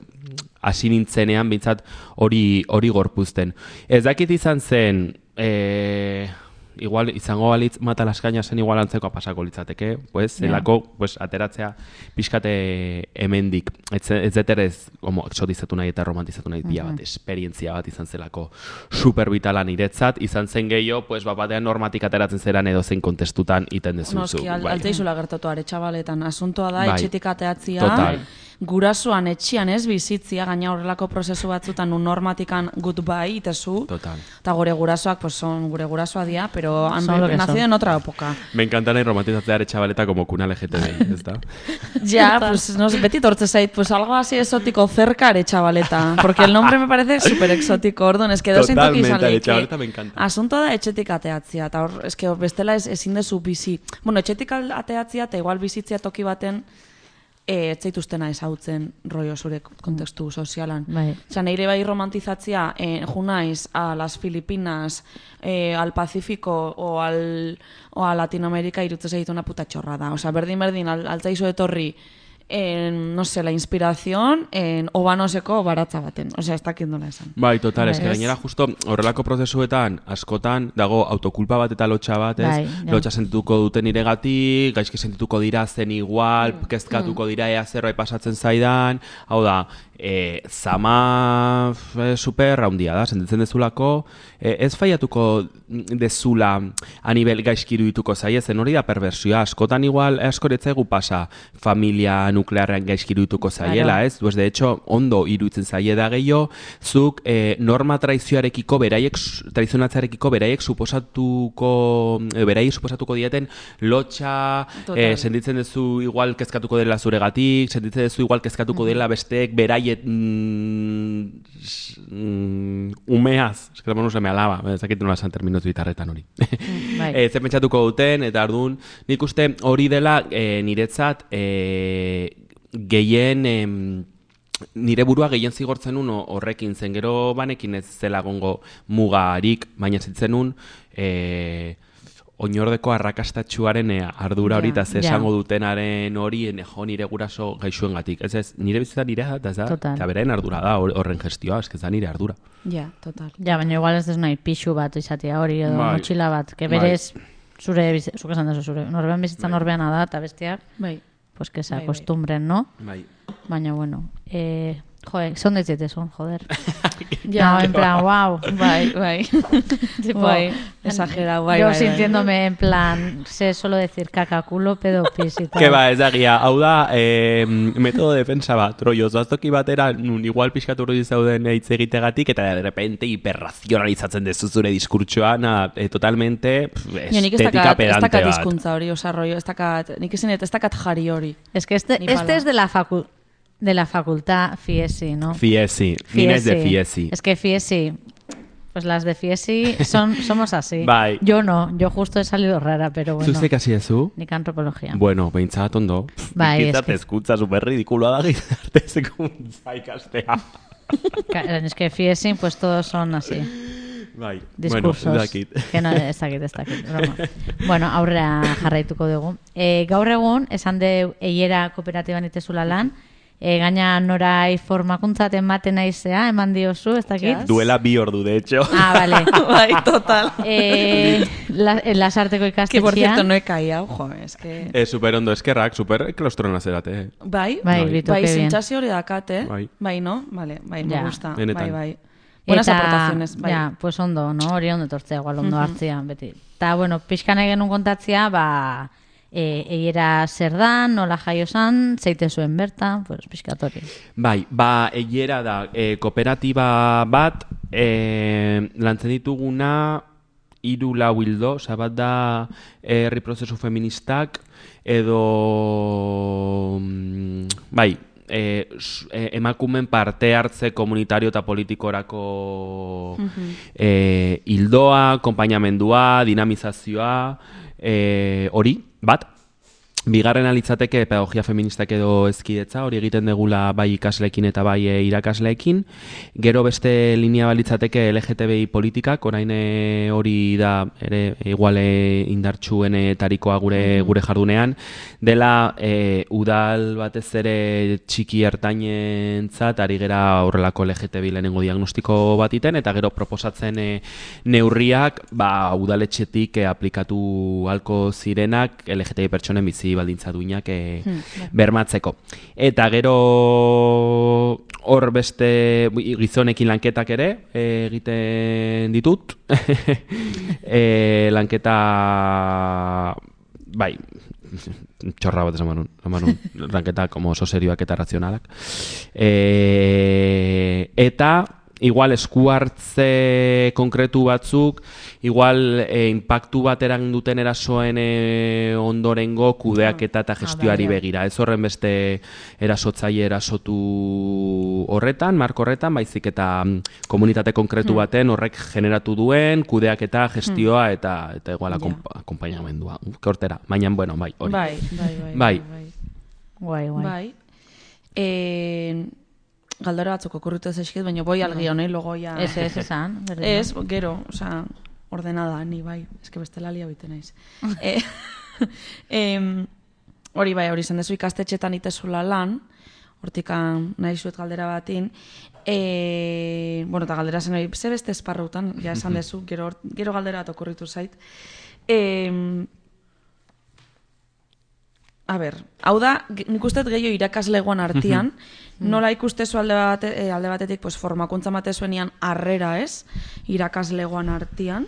hasi nintzenean bintzat hori hori gorpuzten. Ez dakit izan zen, e, igual izango balitz Matalaskaina zen igual antzekoa pasako litzateke, pues, zelako, pues, ateratzea pixkate hemendik. Ez, ez deterez, como, exotizatu nahi eta romantizatu nahi pila bat, esperientzia bat izan zelako super vitala niretzat, izan zen gehiago, pues, bat batean normatik ateratzen zeran edo zein kontestutan iten dezuzu. Noski, al, bai. alteizula gertatu are txabaletan. Asuntoa da, Bai. etxetik ateatzia, Total. gurasoan etxian ez bizitzia, gaina horrelako prozesu batzutan un normatikan goodbye itezu. Total. Eta gure gurasoak, pues, son gure gurasoa dia, pero han Son lo que nacido son. en otra época. Me encanta nahi romantizatzea chavaleta como cuna L G T B, ez da? Ya, pues, no sé, beti tortze zait, pues algo así exótico cerca are chavaleta, porque el nombre me parece súper exótico, orduan, es que edozein toki izan Totalmente, leike. Aretxabaleta me encanta. Asunto da etxetik ateatzia, eta hor, es que bestela ez, ezin dezu bizi. Bueno, etxetik ateatzia, eta igual bizitzia toki baten, e, ez zaituztena ezagutzen rollo zure kontestu sozialan. Bai. Osa, neire bai romantizatzia, eh, junaiz a las Filipinas, eh, al Pacífico o, al, o a Latinoamérica irutzen zaitu una puta chorrada. Osa, berdin-berdin, al, altzaizu etorri, en, no sé, la inspiración, en obanoseko baratza baten. Osea, ez dakit nola esan. Bai, total, ez que Bai. gainera justo horrelako prozesuetan askotan dago autokulpa bat eta lotxa bat, ez? Bai, ja. Lotxa sentituko duten iregatik, gaizki sentituko dira zen igual, kezkatuko dira ea zerbait pasatzen zaidan, hau da, e, zama e, super handia da, sentitzen dezulako, e, ez faiatuko dezula a nivel gaizki irudituko zaie, zen hori da perversioa, askotan igual askoretzaigu pasa familia nuklearrean gaizki irudituko zaiela, Claro. ez? Pues de hecho, ondo iruditzen zaie da gehiago, zuk eh, norma traizioarekiko, beraiek, traizionatzearekiko beraiek suposatuko, eh, beraiek suposatuko dieten lotxa, Total. eh, sentitzen duzu igual kezkatuko dela zuregatik, sentitzen duzu igual kezkatuko dela besteek beraiet mm, mm, umeaz, eske no se me alaba, ez dakit nola esan terminotu gitarretan hori. bai. Eh, zer pentsatuko duten, eta ardun, nik uste hori dela eh, niretzat eh, gehien em, nire burua gehien zigortzen un horrekin zen, gero banekin ez zela gongo mugarik, baina zitzen un eh, oinordeko arrakastatxuaren eh, ardura hori, Ja, eta ze ja. esango dutenaren hori, eh, jo nire guraso gaixuengatik. Ez ez, nire bizitza nire da, ez da, Total. eta beraien ardura da, hor- horren gestioa, ez da nire ardura. Ja, total. Ja, baina igual ez dez nahi pixu bat izatea hori, edo Bai. motxila bat, que Bai. berez zure, bizi- zuk esan dezu, zure, norbean bizitza norbeana da, eta bestiak, Bai. pues que se Bai, bai. acostumbren, no? Bai. Baina, bueno, eh, joder, son de son, joder. Ja. No, en plan, wow. Bai, bai. Tipo, bai, exagerado, bai, yo bai, bai. sintiéndome en plan, sé solo decir caca, culo, pedo, pis y tal. Que ba, ez da gia, hau da, eh, metodo defensa bat, rollo, zoaztoki batera, nun igual pixkatu hori zauden hitz egitegatik, eta de repente hiperrazionalizatzen dezu zure diskurtsoa, na, eh, totalmente pff, Ja, nik ez estetika dakat, ez pedante dakat bat. hizkuntza hori, osa rollo, ez dakat, nik esan ez dakat jari hori. Es que este, Ni este pala. es de la facu de la facultad Fiesi, ¿no? Fiesi, ni naiz de Fiesi. Es que Fiesi, pues las de Fiesi son, somos así. Bai. Yo no, yo justo he salido rara, pero bueno. Zuzte kasi ezu? Nik antropología. Bueno, behintzat ondo. Pff, Bai, gizarte eske- ezkuntza super ridikuloa da gizarte ezkuntza ikastea. Ca- Es que Fiesi, pues todos son así. Bai, Diskursos. bueno, ez dakit. Que no, ez dakit, ez dakit, broma. Bueno, aurrera jarraituko dugu. E, gaur egun, esan de eiera kooperatiban itezula lan, e, gaina norai formakuntzat ematen naizea, eman diozu, ez dakit? Yes. Duela bi ordu, de hecho. Ah, vale. Bai, total. E, la, en lasarteko Que por cierto, ikastetxean. no he caído, jo, es que... Eh, super ondo, eskerrak, super klostrona zerate. Eh. Bai, Bai, Bai. bitu, bai, que bien. zintxazio hori dakate, Bai. bai, no? Vale, bai, me Ja. gusta, Benetan. bai, bai. Buenas Eta, aportaciones, bai. Ja, pues ondo, no? Hori ondo etortzea, igual ondo hartzea, beti. Ta, bueno, pixkan egin genuen kontatzea, ba, e, eiera zer dan, nola jaio zan, zeite zuen bertan, pues, pixkatori. Bai, ba, eiera da, e, kooperatiba bat, e, lantzen dituguna, hiru lau hildo, oza, bat da herri prozesu feministak, edo, mm, bai, e, s- e, emakumen parte hartze komunitario eta politikorako e, hildoa, konpainamendua, dinamizazioa, e, hori, bat. Bigarrena litzateke pedagogia feministak edo ezkidetza, hori egiten degula bai ikasleekin eta bai e, irakasleekin. Gero beste linea balitzateke L G T B I politikak, orain e, hori da ere iguale indartsuenetarikoa gure gure jardunean, dela e, udal batez ere txiki ertainentzat ari gera horrelako L G T B I lehenengo diagnostiko bat iten, eta gero proposatzen e, neurriak ba, udaletxetik e, aplikatu halko zirenak L G T B I pertsonen bizi baldintza duinak e, hmm, bermatzeko. Eta gero hor beste gizonekin lanketak ere e, egiten ditut. e, lanketa bai txorra bat esan manun, manun lanketa como oso serioak eta razionalak. E, eta igual esku hartze konkretu batzuk, igual e, impactu bat eran duten erasoen e, ondorengo kudeaketa eta gestioari begira. Ez horren beste erasotzaile erasotu horretan, marko horretan, baizik eta komunitate konkretu baten horrek generatu duen kudeaketa, gestioa eta eta igual akompainamendua. Hortera, baina, bueno, bai, hori. Bai, bai, bai. Bai. Guai, guai. Bai. Eh, Galdera batzuk okurritu ez eskit, baina boi algi honei logoia... Ez, ez, esan. Ez, gero, oza, ordenada, ni bai, eske bestela lia bite naiz. eh, em, hori bai, hori zen dezu ikastetxetan itezula lan, hortikan nahi zuet galdera batin, e, bueno, eta galdera zen hori, ze beste esparrutan, ja esan dezu, gero, gero galdera bat okurritu zait. E, a ber, hau da, nik usteet gehiago irakaslegoan artian, nola ikustezu alde, bate, eh, alde batetik pues, formakuntza matezuenian harrera ez, irakaslegoan artian.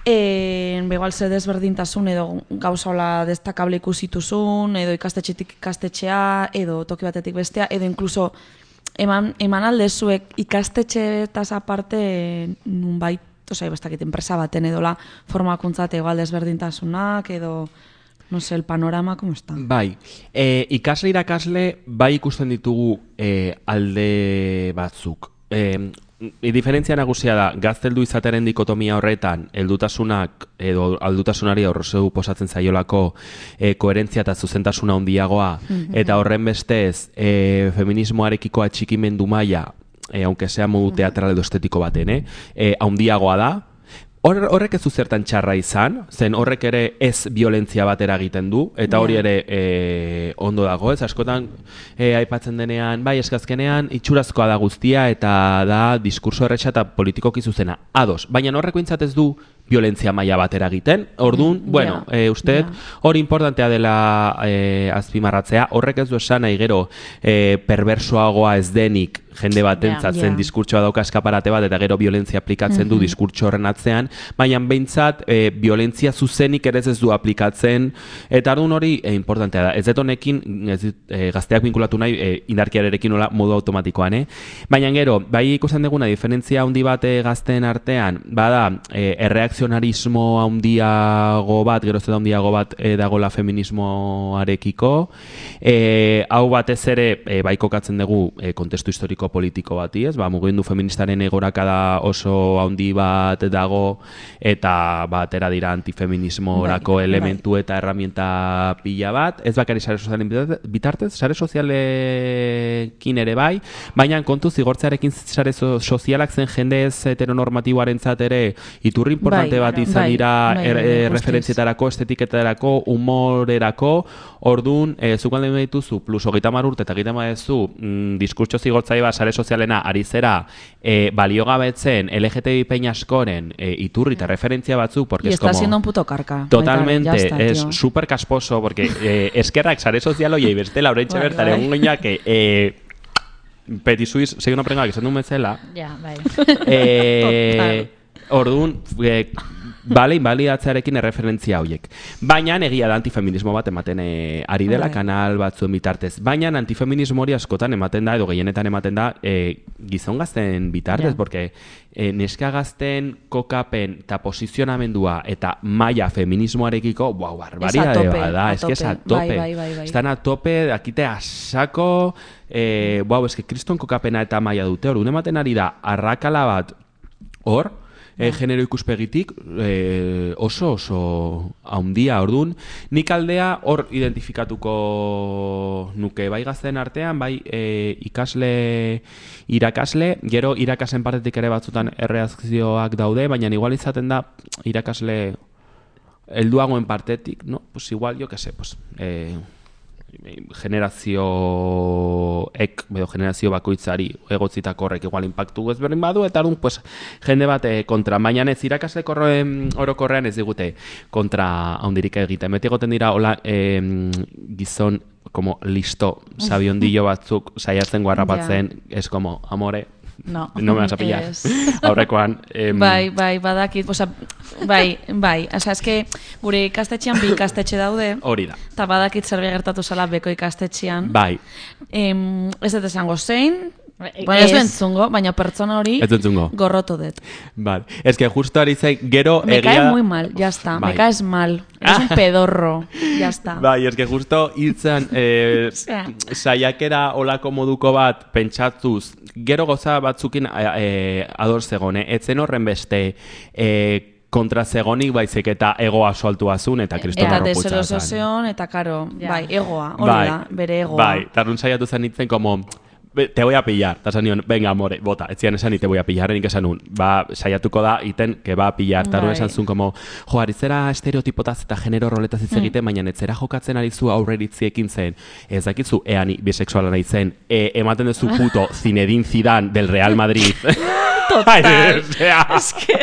E, begal ze desberdintasun edo gauza hola destakable ikusituzun, edo ikastetxetik ikastetxea, edo toki batetik bestea, edo inkluso eman, eman aldezuek ikastetxeetaz aparte nunbait, osea, bastakit enpresa baten edola formakuntza eta igual desberdintasunak, edo... No sé, el panorama, ¿cómo está? Bai, e, ikasle irakasle bai ikusten ditugu e, alde batzuk. E, diferentzia nagusia da, gazteldu izatearen dikotomia horretan, heldutasunak edo aldutasunari aurrezeu posatzen zaiolako e, koherentzia eta zuzentasuna handiagoa, eta horren bestez e, feminismoarekiko atxikimendu maila, e, aunque sea modu teatral edo estetiko baten, eh? e, handiagoa da. Horrek ez du zertan txarra izan, zen horrek ere ez violentzia batera egiten du, eta hori ere e, ondo dago, ez askotan e, aipatzen denean, bai eskazkenean itxurazkoa da guztia eta da diskurso erretxa eta politikoki zuzena, ados, baina horreko intzat ez du violentzia maila batera egiten, orduan, mm, bueno, yeah, e, usteet, yeah. hori importantea dela e, azpimarratzea, horrek ez du esan nahi gero e, perversoagoa ez denik jende batentzat yeah, zen yeah. diskurtsoa dauka eskaparate bat eta gero violentzia aplikatzen mm-hmm. du diskurtso horren atzean, baina behintzat e, violentzia zuzenik ere ez du aplikatzen, eta orduan hori e, importantea da. Ez dut honekin, ez dut, e, gazteak vinkulatu nahi, e, indarkiarekin nola modu automatikoan, eh? Baina gero, bai ikusten duguna diferentzia handi bat e, gazteen artean, bada, e, erreakzionarismo handiago bat, gero ez da handiago bat e, dagola feminismoarekiko, e, hau batez ere, e, bai kokatzen dugu e, kontestu historiko politiko bati, ez? Ba, mugimendu feministaren egorakada oso handi bat dago eta batera dira antifeminismorako bai, elementu bai. Eta herramienta pila bat. Ez bakari sare sozialen bitartez, sare sozialekin ere bai, baina kontu zigortzearekin sare sozialak zen jende ez heteronormatiboarentzat ere iturri importante bai, bat izan bai, dira bai, er, bai, referentzietarako, estetiketarako, humorerako, orduan, e, zukalde dituzu, plus hogeita hamar urte eta hogeita hamar duzu, mm, diskurtso zigortzaile bat sare sozialena ari zera e, baliogabetzen L G T B I peña askoren e, iturri eta referentzia batzuk, porque y es como... está siendo un puto carca. Totalmente, Baita, está, es tío. súper casposo, porque eh, eskerrak sare sozial hoiei beste laurentxe bertare egun gineak que... Eh, Petit Suisse, segi una prenga, que esan duen bezala. Ja, bai. Eh, orduan, eh, bale, inbalidatzearekin erreferentzia horiek. Baina egia da antifeminismo bat ematen e, ari dela okay. kanal batzuen bitartez. Baina antifeminismo hori askotan ematen da, edo gehienetan ematen da, e, gizon gazten bitartez, yeah. porque e, neska gazten kokapen eta posizionamendua eta maila feminismoarekiko, wow, barbaria da, es que es a tope. Bai, bai, bai, bai. Estan a tope, dakite asako, eh, wow, es que kriston kokapena eta maila dute hor, ematen ari da, arrakala bat hor, E, genero ikuspegitik e, oso oso haundia, ordun. Nik aldea hor identifikatuko nuke bai gazteen artean, bai e, ikasle, irakasle, gero irakasen partetik ere batzutan erreakzioak daude, baina igual izaten da irakasle helduagoen partetik, no? Pues igual, yo que sé, pues... Eh, generazioek edo generazio bakoitzari egotzitako horrek igual impactu ezberdin badu eta orduan pues jende bat eh, kontra, baina ez irakasle orokorrean ez digute kontra handirik egiten. Beti egoten dira hola eh, gizon como listo sabiondillo batzuk saiatzen guarrapatzen, es como amore. No. No me vas a pillar. Ez. Aurrekoan. Em, Bai, bai, badakit, osea, bai, bai, osea, eske gure ikastetxean bi ikastetxe daude, Hori da. eta badakit zerbait gertatu zala beko ikastetxean. Bai, Em, ez dut esango zein, Ez. baina ez du entzungo, baina pertsona hori ez entzungo. gorroto dut. Vale. Es que justo ari zain, gero Me egia cae da- muy mal, ya está, Bai. me caes mal, eres un pedorro, ya está. Bai, es que justo hiltzen eh, Osea. saiakera olako moduko bat pentsatuz, gero goza batzukin eh, ador zegone, etzen horren beste eh, kontra zegonik baizik eta ego aso altua zuen eta kriston Eta harroputza zan. deserosozion, eta karo, Ja. bai, egoa, hori Bai, da, bere egoa. Bai, tarun saiatu zen nintzen como... "Be- te voy a pillar, eta esan nion, venga, amore, bota, ez zian esan ni te voy a pillar, nik esan nun, ba, saiatuko da, iten, que va a pillar, tarun Bai. esan zuen, como, jo, aritzera estereotipotaz eta genero roletaz hitz egiten, baina netzera jokatzen ari zu aurreritziekin zen, ez dakizu, ea ni bisexuala nahi zen, e, ematen duzu puto Zinedine Zidane del Real Madrid. Total. O sea, es que...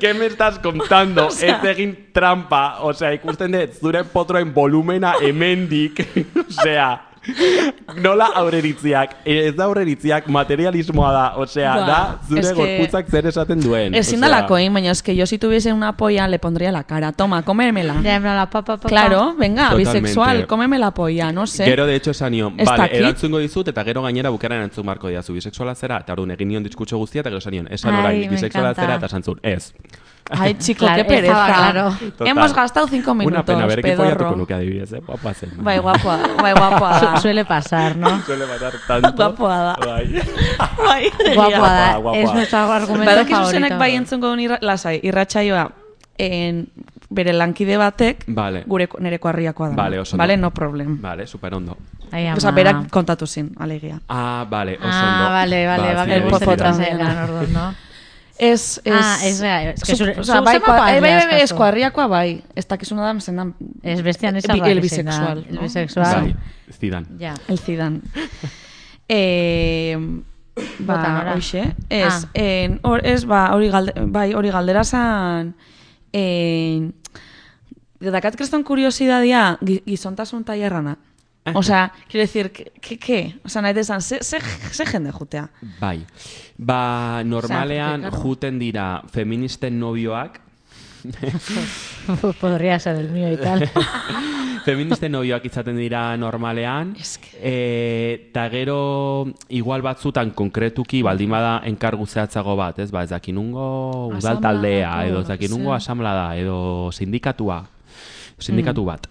¿Qué me estás contando? O sea, ez egin trampa, o sea, ikusten dut zure potroen volumena hemendik, o sea... Nola aurreritziak, ez da aurreritziak, materialismoa da, osea, Ba, da zure es que- gorputzak zer esaten duen. Ezin osea. dalakoin, baina es que yo si tuviese una polla le pondría la cara. Toma, cómemela. Ya, en plan, la pa, pa, pa, Claro, venga, Totalmente. bisexual, cómeme la polla, no sé. Gero, de hecho, esan nion, Ez vale, dakit. erantzungo dizut, eta gero gainera bukaran erantzun marko diazu bisexuala zera, eta orduan egin nion diskutxo guztia, eta gero esan nion, esan Ai, orain me bisexuala encanta. zera, eta esan zuen, ez. Ay, chico, Claro, qué pereza. estaba claro. Total. Hemos gastado cinco minutos, Una pena, berekin follatuko pedorro. nuke adibidez, eh? Guapa zen. Bai, guapoa, bai, guapoa da. Su- suele pasar, ¿no? Suele matar tanto. Guapoa da. Bai. Bai, Guapoa da, guapoa. es nuestro argumento Badakizu favorito. zenek bai entzungo duen irra, lasai, irratsaioa en, bere lankide batek Vale. gure nereko harriakoa da. Vale, oso ondo. Vale, no problem. Vale, super ondo. Ai, ama. Osa, berak kontatu zin, alegia. Ah, vale, oso Ah, ondo. vale, vale, Ba, vale, Zinedine el gustatzen Zidane. Zidane. zaidan orduan, ¿no? Ez, ez... Ah, ez, ez que Zu- zure- osea, zu bai, zemakoa bai, ez bai, bai, askazu. ez kuarriakoa bai. Ez dakizuna da, mesendan... Ez bestian Bi- izan el bisexual, El no? bisexual. Bai, Zidane. Ja. El Zidane. eh, Bota, ba, nora? hoxe, ez, Ah. en, or, ez, ba, hori galde, bai, hori galdera zan, en, dakat kreston kuriosidadia gi- gizontasun tailerrana. O sea, quiero decir, ¿qué? ¿Qué? qué? O sea, nahi desan, ze, ze, ze jende jutea. Bai. Ba, normalean porque, claro. juten dira feministen nobioak, Podría ser el mío y tal. feministen nobioak izaten dira normalean, Es que- eh, eta gero igual batzutan konkretuki baldin bada enkargu zehatzago bat, ez? Ba, ez dakinungo udal taldea, Asamladako, edo ez dakinungo ze. asamblada, edo sindikatua, sindikatu bat.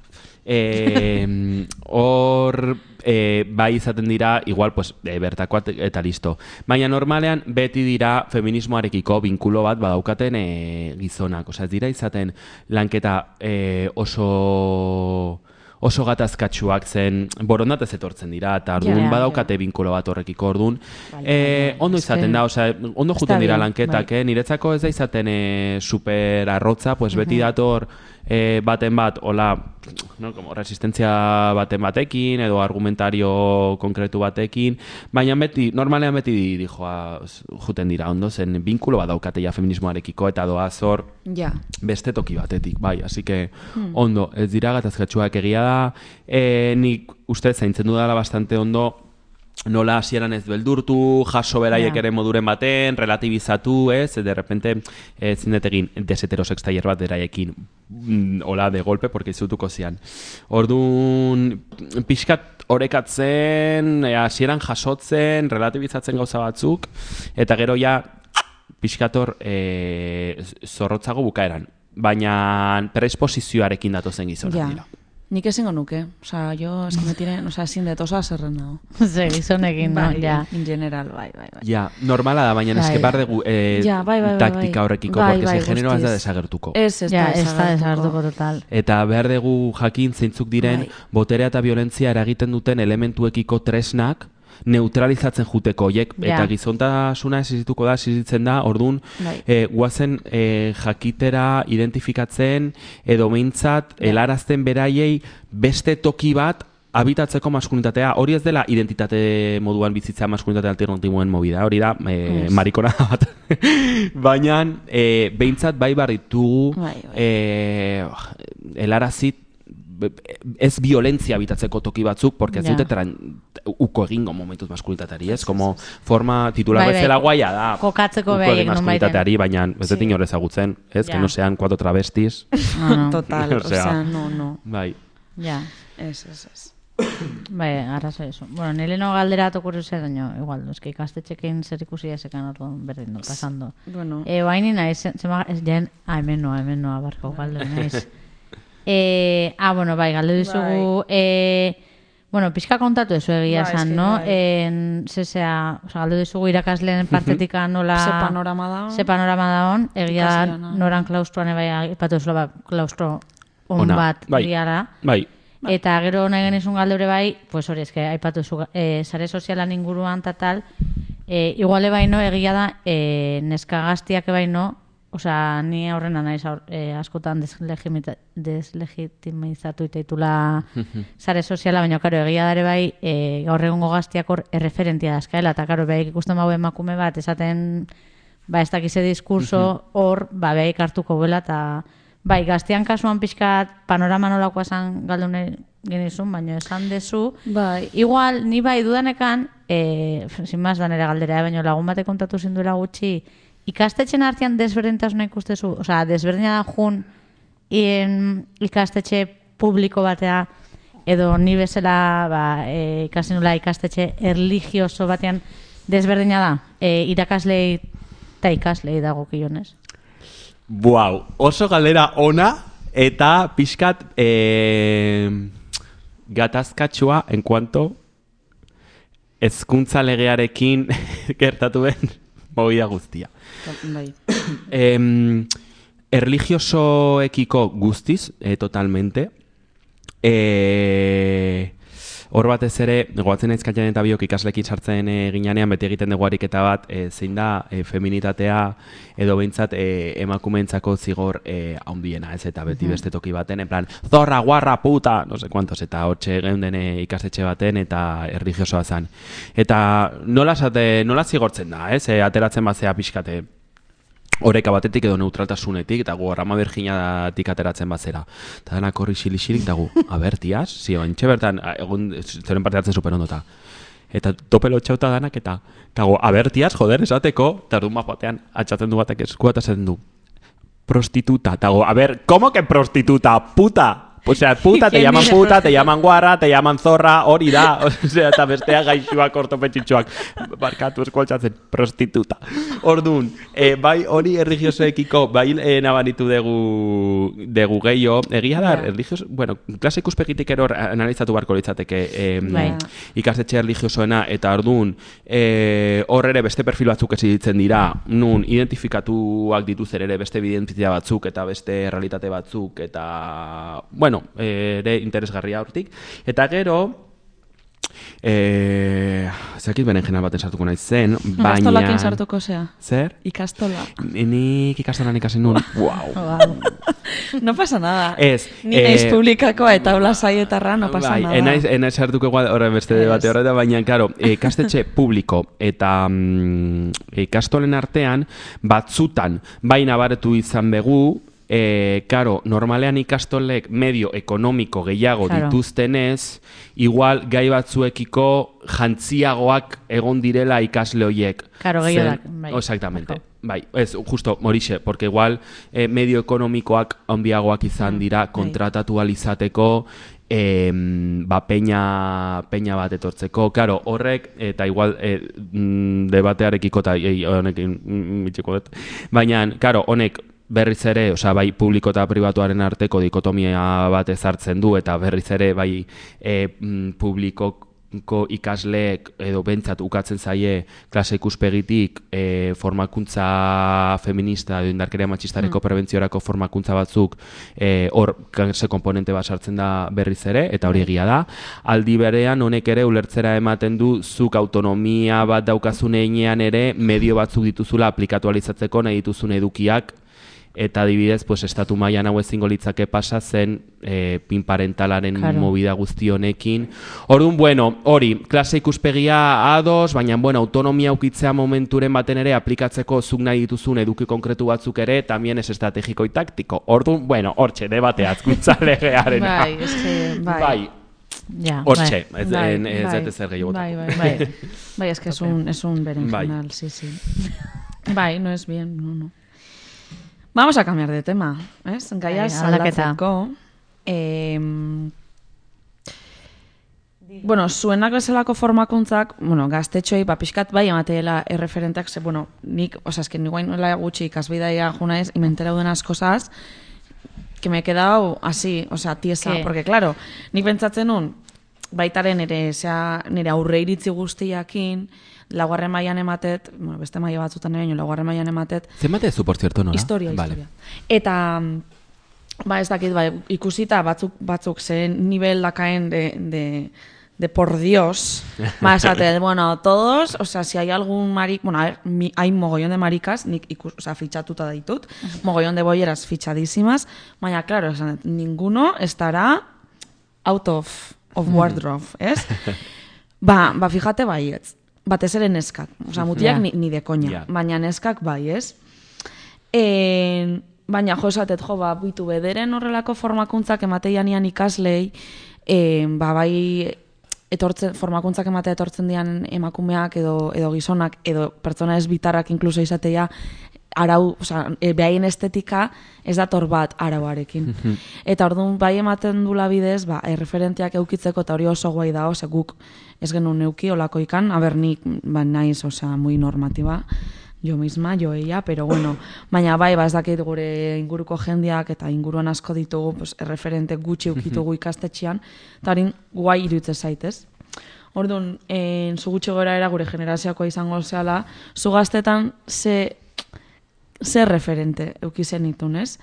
Eh, Hor, eh, bai izaten dira, igual, pues, eh, bertakoak eta listo. Baina normalean, beti dira feminismoarekiko binkulo bat badaukaten eh, gizonak. Osea, ez dira izaten lanketa eh, oso oso gatazkatsuak zen, borondatez etortzen dira, eta orduan Ja, badaukate binkulo bat horrekiko orduan. Bai, Eh, bai, bai. ondo izaten da, osea, ondo Está juten dira bien, lanketak, bai. eh? Niretzako ez da izaten eh, super arrotza, pues beti dator eh, baten bat, hola, no, como resistentzia baten batekin, edo argumentario konkretu batekin, baina beti, normalean beti dijoa juten dira, ondo zen, binkulo bat daukate ja feminismoarekiko, eta doa zor, Ja. beste toki batetik, bai, así que ondo, ez dira gatazkatxuak egia da, e, nik uste zaintzen dudala bastante ondo, nola hasieran ez beldurtu, jaso beraiek Ja. ere moduren baten, relativizatu, ez, de repente, ez zindet egin deseterosex tailer bat beraiekin, mm, hola, de golpe, porque izutuko zian. Orduan, pixkat orekatzen, eh, hasieran jasotzen, relativizatzen gauza batzuk, eta gero ja, pixkator e, zorrotzago bukaeran. Baina predisposizioarekin datozen gizonak Ja. dira. Nik ezingo nuke. Osa, jo, eski me tiren, osa, ezin dut oso azerren dago. Ze, gizonekin, no, Bai, ja. in general, bai, bai, bai. Ja, normala da, baina Bai. eske bar dugu eh, Ja, bai, bai, bai, taktika bai. horrekiko, Bai, porque bai, ze generoa ez da guztiz. desagertuko. Ez, ez Ja, da ez da desagertuko. desagertuko total. Eta behar dugu jakin zeintzuk diren Bai. boterea eta violentzia eragiten duten elementuekiko tresnak neutralizatzen juteko hoiek, Ja. eta gizontasuna existituko da, existitzen da, orduan Bai. eh, guazen eh, jakitera identifikatzen edo meintzat helarazten beraiei beste toki bat habitatzeko maskulinitatea. Hori ez dela identitate moduan bizitzea maskulinitate alternatiboen movida, hori da eh, Ez. marikona bat. Baina eh, behintzat bai barritugu Bai, bai. eh, helarazit ez violentzia bitatzeko toki batzuk, porque ez Ja. dute tran, uko egingo momentuz maskulinitateari, ez? Como forma titular Bai, bai. bezala guaia da. Kokatzeko uko beraiek egin nonbaiten. maskulinitateari, baina ez dut Sí. inor ezagutzen, ez? Ja. Que no sean cuatro travestis. No, no. Total, O o sea, sea, no, no. Bai. Ja. Ez, ez, ez. Bai, arrazo eso. Bueno, nire no galdera tokurri zer daño, igual, eski ikastetxekin zer ikusi esekan orduan berdin dut pasando. Bueno, E, oaini naiz, zema, ez jen, ah, hemen noa, hemen noa, barko galde naiz. E, ah, bueno, bai, galde dizugu, e, bueno, pixka kontatu ezu egia Bai, esan, eske, no? bai. En, zesea, oza, galde dizugu irakasleen partetik nola... ze panorama da. Ze panorama da hon, egia da, Ikasleana. noran klaustroan ebai, ipatu ezula, ba, klaustro on Ona, bat bai. diala. Bai. Eta gero nahi genizun galdeure bai, pues hori, eske, aipatu zu, e, sare sozialan inguruan eta tal, e, iguale baino, egia da, e, neska gaztiak baino, osea, ni aurrena naiz aur, e, askotan deslegimita- deslegitimizatu itaitula sare soziala, baina, karo, egia dare bai, e, gaur egungo gaztiak hor erreferentia dazkaela, eta karo, bai ikusten bau emakume bat, esaten, ba, ez dakize diskurso hor, ba, bai hartuko buela, eta bai, gaztean kasuan pixkat panorama nolakoa esan galdune genizun, baina esan dezu. Bai. Igual, ni bai dudanekan, e, sin más da nere galdera, baina lagun bate kontatu zinduela gutxi, ikastetxen artean desberdintasuna ikustezu, osea, desberdina da jun in, ikastetxe publiko batea, edo ni bezala ba, e, ikasten nula ikastetxe erligioso batean desberdina da, e, irakaslei eta ikaslei dagokionez. Buau, oso galdera ona eta pixkat eh, gatazkatsua en cuanto hezkuntza legearekin gertatu den movida guztia. Bai. Em, erligiosoekiko guztiz, eh, totalmente. Eh, hor batez ere, goatzen naiz Katjan eta biok ikaslekin sartzen e, ginanean beti egiten dugu ariketa bat, e, zein da e, feminitatea edo behintzat e, emakumeentzako zigor e, handiena, ez eta beti beste toki baten, en plan, zorra, guarra, puta, no sé cuantos, eta hotxe geunden e, ikastetxe baten eta erligiosoa zen. Eta nola, esate, nola zigortzen da, ez? E, ateratzen bazea pixkate, oreka batetik edo neutraltasunetik, eta gu Rama Virginiatik ateratzen bazera. Eta denak horri xili-xilik, eta gu, aber, tiaz, zio, entxe bertan, egun zeren parte hartzen super ondota. Eta topelo txauta danak, eta, eta gu, aber, tiaz, joder, esateko, eta erdun bat batean, atxatzen du batek eskua, eta esaten du, prostituta, eta gu, aber, ¿cómo que prostituta? Puta! O sea, puta, te llaman puta, te llaman guarra, te llaman zorra, hori da. O sea, eta bestea gaixuak, ortopetxitxuak. Barkatu eskualtzatzen, prostituta. Orduan, eh, bai hori erligiosoekiko, bai eh, nabaritu dugu, dugu gehiago. Egia da, Ja. erligioso, bueno, klase ikuspegitik eror analizatu barko litzateke eh, Bai. ikastetxe erligiosoena, eta orduan, eh, hor ere beste perfil batzuk esiditzen dira, nun identifikatuak dituz ere beste evidentzia batzuk, eta beste realitate batzuk, eta, bueno, ere interesgarria hortik. Eta gero, eh, zakit beren general baten sartuko naiz zen, baina... Ikastolakin sartuko zea. Zer? Ikastola. Nik ikastolan ikasen nun. Wow. No pasa nada. Ez, Ni eh, naiz publikakoa eta hola saietarra, no pasa bai, nada. enaiz, enaiz sartuko igual horren beste debate horretan, baina, claro, ikastetxe publiko eta mm, ikastolen artean, batzutan, baina baretu izan begu, E, karo, normalean ikastolek medio ekonomiko gehiago Claro. dituztenez, igual gai batzuekiko jantziagoak egon direla ikasle hoiek. Claro, Zen- gehiagoak, bai. Exactamente. Bai, ez, justo, morixe, porque igual eh, medio ekonomikoak handiagoak izan dira kontratatu alizateko eh, ba, peña, peña bat etortzeko. Claro, horrek, eta igual eh, mm, debatearekiko eta eh, honekin mm, mitxeko dut. Baina, claro, honek berriz ere, osea, bai publiko eta pribatuaren arteko dikotomia bat ezartzen du, eta berriz ere bai e, publiko ikasleek edo bentsat ukatzen zaie klase ikuspegitik e, formakuntza feminista edo indarkeria matxistareko mm. prebentziorako formakuntza batzuk e, hor klase komponente bat sartzen da berriz ere, eta hori egia da. Aldi berean honek ere ulertzera ematen du zuk autonomia bat daukazun einean ere medio batzuk dituzula aplikatualizatzeko nahi dituzun edukiak, eta adibidez, pues, estatu mailan hau ezingo litzake pasa zen e, pinparentalaren claro. movida guzti honekin. Orduan, bueno, hori, klase ikuspegia ados, baina, bueno, autonomia ukitzea momenturen baten ere aplikatzeko zuk nahi dituzun eduki konkretu batzuk ere, tamien ez estrategiko y taktiko. Orduan, bueno, hortxe, debate azkuntza legearen. Bai, ez que, bai. Bai. Ja, hortxe, bai. ez bai, ez bai, ez ezer gehiago. Bai, bai, bai. Bai, es que es un, es un berenjenal, Bai. sí, sí. Bai, no es bien, no, no. Vamos a cambiar de tema, ¿es? Gaia Bai, aldaketa. aldatzeko. Eh, bueno, zuenak bezalako formakuntzak, bueno, gaztetxoei, ba, pixkat bai emateela erreferenteak, ze, bueno, nik, oza, es que ni guain nola gutxi ikasbidaia juna ez, y me he enterado de unas cosas que me he quedado así, o sea, tiesa, ¿Qué? porque, claro, nik pentsatzen nun, baitaren ere, zea, nire aurre iritzi guztiakin, laugarren mailan ematet, bueno, beste maila batzutan ere, laugarren mailan ematet, Zenbat zu, por cierto, nola? historia, Vale. historia. Eta, ba, ez dakit, ba, ikusita batzuk, batzuk zen nivel dakaen de, de, de por Dios, ba, esate, bueno, todos, o sea, si hay algún maric, bueno, a ver, mi, hay mogollón de maricas, nik ikus, o sea, fichatuta ditut, mogollón de bolleras fichadísimas, baina, claro, o sea, ninguno estará out of, of wardrobe, ¿es? ba, ba, fíjate, baietz. Batez ere neskak. Osa, mutiak Ja. ni, ni de koña. Ja. Baina neskak bai, ez? E, baina jo esatet, jo, ba, bitu bederen horrelako formakuntzak emateianian ikaslei, e, ba, bai, etortzen, formakuntzak ematea etortzen dian emakumeak edo, edo gizonak, edo pertsona ez bitarrak inkluso izatea, arau, oza, e, behaien estetika ez dator bat arauarekin. Eta orduan bai ematen dula bidez, ba, erreferenteak eukitzeko, eta hori oso guai da, ose guk ez genuen neuki olako ikan, aber nik, ba, naiz, osea, muy normativa, jo misma, jo ella, pero bueno, baina bai, ba, ez dakit gure inguruko jendeak eta inguruan asko ditugu, pues, erreferente gutxi eukitugu ikastetxean, eta hori guai iruditzen zaitez. Orduan, en, zu gutxi gora era gure generazioakoa izango zehala, zu gaztetan ze zer referente eukizen itun, ez?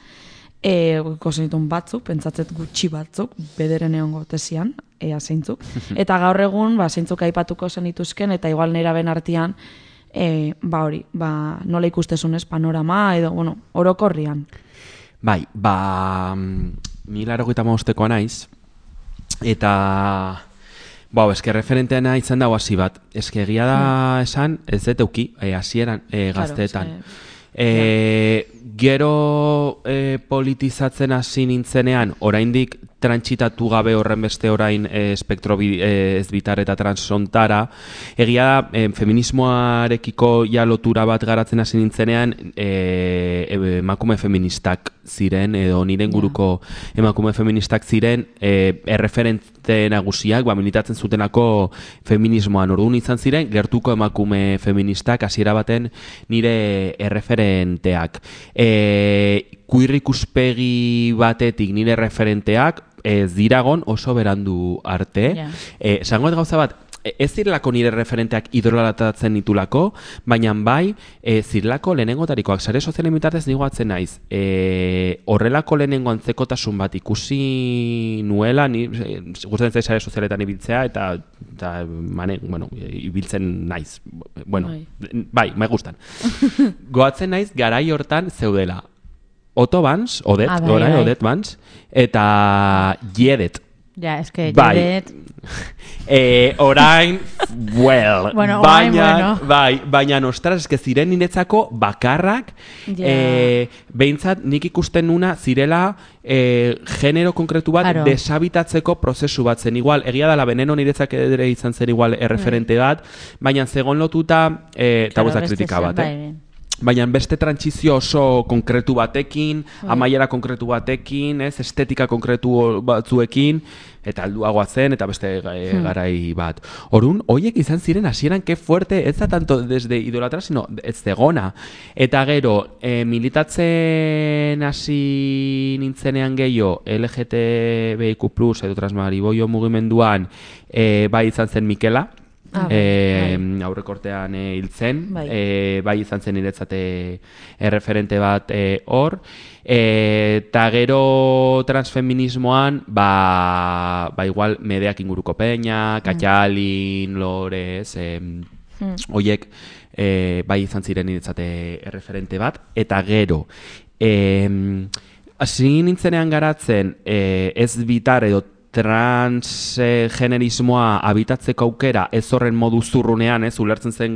E, ikusen itun batzuk, pentsatzet gutxi batzuk, bederen egongo tesian, ea zeintzuk. Eta gaur egun, ba, zeintzuk aipatuko zen ituzken, eta igual nera ben artean, e, ba hori, ba, nola ikustezunez panorama, edo, bueno, orokorrian. Bai, ba, mila erogeita maostekoa naiz, eta, bau, eske referenteana izan dago hasi bat. Eske egia da esan, ez dut euki, e, hasieran e, gazteetan. Claro, ze- E, gero e, politizatzen hasi nintzenean, oraindik trantsitatu gabe horren beste orain e, espektro bi, e, ez bitar eta transontara, egia da e, feminismoarekiko ja lotura bat garatzen hasi nintzenean e, e, emakume feministak ziren, edo nire inguruko emakume feministak ziren e, erreferente nagusiak, ba, militatzen zutenako feminismoan. Orduan izan ziren, gertuko emakume feministak hasiera baten nire erreferenteak. E, queer ikuspegi batetik nire referenteak ez diragon oso berandu arte. Ja. Eh, esango dut gauza bat, e, ez zirelako nire referenteak idolatatzen ditulako, baina bai, e, zirelako lehenengotarikoak sare sozialen bitartez nigoatzen naiz. E, horrelako lehenengo antzekotasun bat ikusi nuela, ni e, gustatzen zait sare sozialetan ibiltzea, eta, eta mane, bueno, ibiltzen naiz. Bueno, Bai. bai, me gustan. Goatzen naiz garai hortan zeudela Otto Vance, Odet, Ah, bai, orain bai. Odet Vance, eta Jedet. Ja, es que Bai. Jedet, Eh, orain, well, Bueno, orain, baina, bueno. bai, baina ostras, eske ziren niretzako bakarrak, Ja. eh, behintzat nik ikusten nuna zirela eh, genero konkretu bat Aro. desabitatzeko prozesu bat zen. Igual, egia dala Veneno niretzak ere izan zen igual erreferente bat, baina zegon lotuta, eh, eta claro, ez da beste kritika zer- bat, bai, eh? bai. baina beste trantsizio oso konkretu batekin, amaiera konkretu batekin, ez, estetika konkretu batzuekin, eta alduagoa zen, eta beste e, garai bat. Orun, hoiek izan ziren hasieran ke fuerte, ez da tanto desde idolatra, sino ez zegona. Eta gero, e, militatzen hasi nintzenean gehiago, L G T B I Q plus, edo transmariboio mugimenduan, e, bai izan zen Mikela, Ah, e, aurrekortean e, hil zen, Bai. e, bai izan zen niretzate erreferente bat e, hor, eta gero transfeminismoan, ba, ba igual Medeak inguruko peña, Katxalin, Lores, e, hoiek e, bai izan ziren niretzate erreferente bat, eta gero, e, hasi nintzenean garatzen e, ez bitar edo transgenerismoa habitatzeko aukera ez horren modu zurrunean, ez, ulertzen zen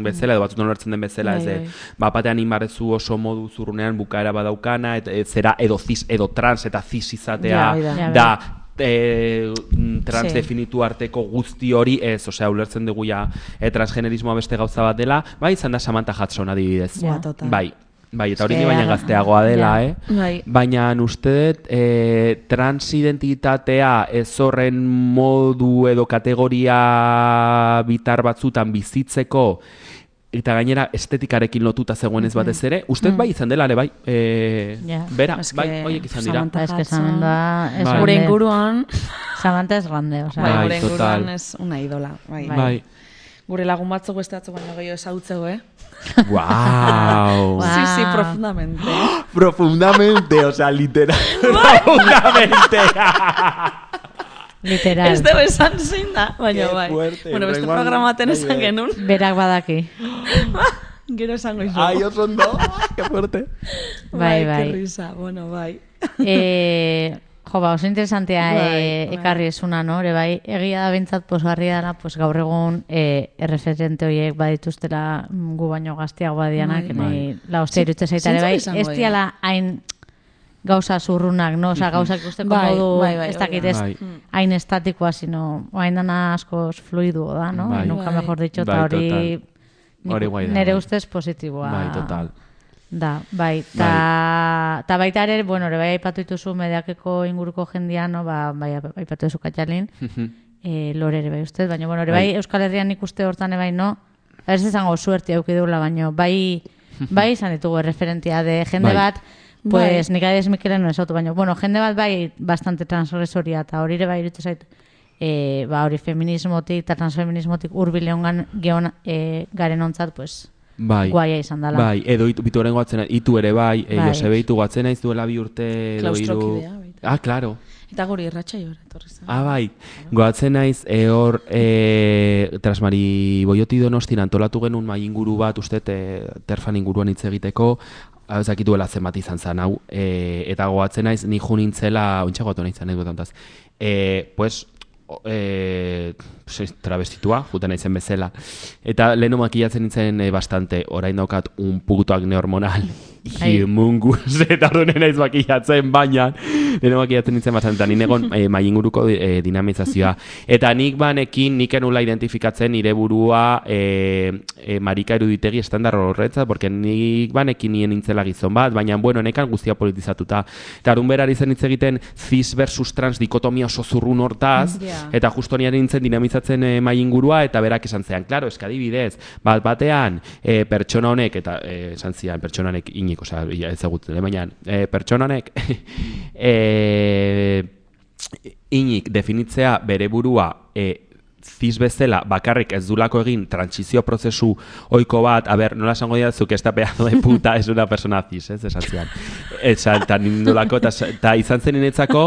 bezala, edo batzutan ulertzen den bezala, ez, Bai, bai. bapatean inbarrezu oso modu zurrunean bukaera badaukana, eta ez zera edo cis, edo trans, eta cis izatea Ja, bai da. Ja, da, e, trans Sí. definitu arteko guzti hori ez, osea, ulertzen dugu ja e, transgenerismoa beste gauza bat dela, bai izan da Samantha Hudson adibidez. Ja, total. Bai, bai, eta hori Eske, ni baina ja. gazteagoa dela, Ja. eh? Bai. Baina uste dut e, transidentitatea ez horren modu edo kategoria bitar batzutan bizitzeko eta gainera estetikarekin lotuta zegoenez batez ere, uste dut bai izan dela ere bai, e, Ja. bera, Eske, bai, hoiek izan dira. Samantha Es que Hudson. Samantha es Bai. Gure grande. inguruan, Samantha es grande, o sea. bai, Bai, gure total. inguruan ez una idola. Bai. Bai. Gure lagun batzuk beste batzuk baino gehiago ezagutzeko, eh? Wow. Wow. Sí, sí, profundamente. Profundamente, o sea, literal. Profundamente. Literal. Ez dugu esan zein da, baina Qué bai. fuerte, Bueno, beste horrengoan- programaten bai, esan bai. genuen. Berak badaki. Gero esango izu. Ai, oso ondo. Qué fuerte. Bai, bai. Qué risa, bueno, bai. Eh, jo, ba, oso interesantea Bai, eh, bai. ekarri esuna, no? Ere bai, egia da bintzat posgarria dela, pues gaur egun eh, erreferente horiek badituztela mm, gu baino gazteago badianak, Bai. nahi la hostia iruditzen zaita ere Zeintzuk bai, izango ez dira? diala hain gauza zurrunak, no? Osa, gauzak ikusteko Bai, modu, bai, bai, ez hori dakit da. ez Bai. hain estatikoa, sino hain dana askoz fluiduo da, no? Bai. Nunca Bai. mejor dicho, Bai, eta hori total. Hori guai da, nere bai. ustez positiboa. Bai, total. Da, bai, ta, ta baita ere, bueno, ere bai aipatu dituzu Medeakeko inguruko jendia, no, ba, bai aipatu duzu Katxalin, e, Lore ere bai ustez, baina, bueno, ere bai, Bai. Euskal Herrian nik uste hortan ere bai, no, ez izango suerti auki dugula, baina bai, bai izan ditugu referentia de jende Bai. bat, pues Bai. nik adez Mikelen no esautu, baina, bueno, jende bat bai bastante transgresoria, eta hori ere bai iruditzen zait, e, ba, hori feminismotik eta transfeminismotik hurbil egon geon e, garen ontzat, pues, Bai. guaia izan dela. Bai, edo itu, bituaren goatzen, itu ere bai, e, Bai. Josebe itu goatzen naiz duela bi urte edo hiru. Klaustrokidea, baita. Ah, claro. Eta guri irratxa jora, etorri zen. Ah, bai. Goatzen naiz, e, hor, e, Trasmari Boioti Donostin antolatu genuen mai inguru bat, uste, te, terfan inguruan hitz egiteko, hau ez dakit duela zenbat izan zen, hau. E, eta goatzen naiz, ni jo nintzela, ointxe goatu nahi zen, anekdotantaz. E, pues, o- e, pues, travestitua, juten naizen bezala. Eta lehenu makillatzen nintzen e, bastante, orain daukat un puto acne hormonal. Ai. Himungus, eta orduan naiz makillatzen, baina lehenu makillatzen nintzen bastante, eta ninegon e, mai inguruko e, dinamizazioa. Eta nik banekin, nik enula identifikatzen nire burua e, e, marika eruditegi estandar horretzat, porque nik banekin nien nintzela gizon bat, baina, bueno, nekan guztia politizatuta. Eta arun berari zen hitz egiten cis versus trans dikotomia oso zurrun hortaz, Ja. eta justo niaren nintzen dinamizatzen e, mai ingurua, eta berak esan zean, claro, eska adibidez, bat batean, e, pertsona honek, eta e, esan zian, pertsona honek inik, osea, ja, ezagutzen, baina, e, pertsona honek, e, inik definitzea bere burua e, cis bezala bakarrik ez dulako egin trantsizio prozesu ohiko bat, a ber, nola esango dira zuk esta pedazo de puta es una persona cis, ez, esan zian. Eta nindulako, eta izan zen niretzako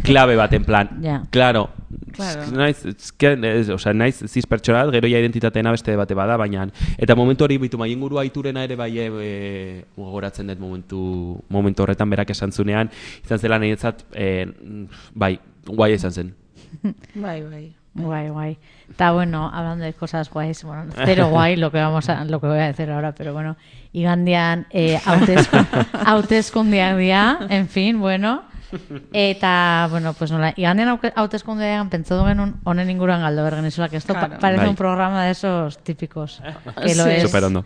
klabe bat, en plan, Ja. claro, Claro. naiz, eske, ez, osea, naiz cis pertsona, gero ja identitateena beste bate bada, baina, eta momentu hori bitu mai ingurua iturena ere bai e, gogoratzen dut momentu, momentu horretan berak esan zunean, izan zela niretzat, e, bai, guai izan zen. Bai, bai. Guay, guay. Está bueno, hablando de cosas guays, bueno, cero guay lo que vamos a, lo que voy a decir ahora, pero bueno, igandian eh, hautezko, hautezkundeak dira, en fin, bueno, eta, bueno, pues nola, igandian hauke- hautezkundeak pentsatu genuen honen inguruan galdo bergen, que esto pa- Claro. parece Bai. un programa de esos típicos, que lo Sí. es. Super ondo.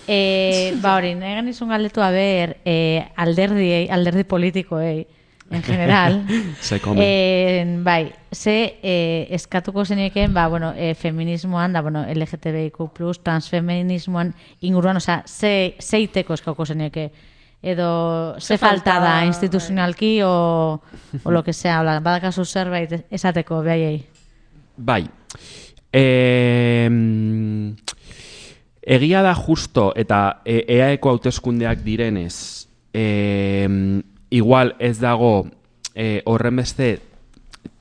E, ba hori, nahi genizun galdetu haber e, alderdi, alderdi politikoei, en general. Se come. E, bai, ze e, eskatuko zeneken, ba, bueno, e, feminismoan, da, bueno, L G T B I Q plus, transfeminismoan inguruan, osea, ze, zeiteko eskatuko zeneke, edo ze falta falta, da instituzionalki o, o lo que sea, hola, badakazu zerbait esateko behaiei. Bai. E, egia da justo eta e, eaeko hauteskundeak direnez, e, igual ez dago e, horren beste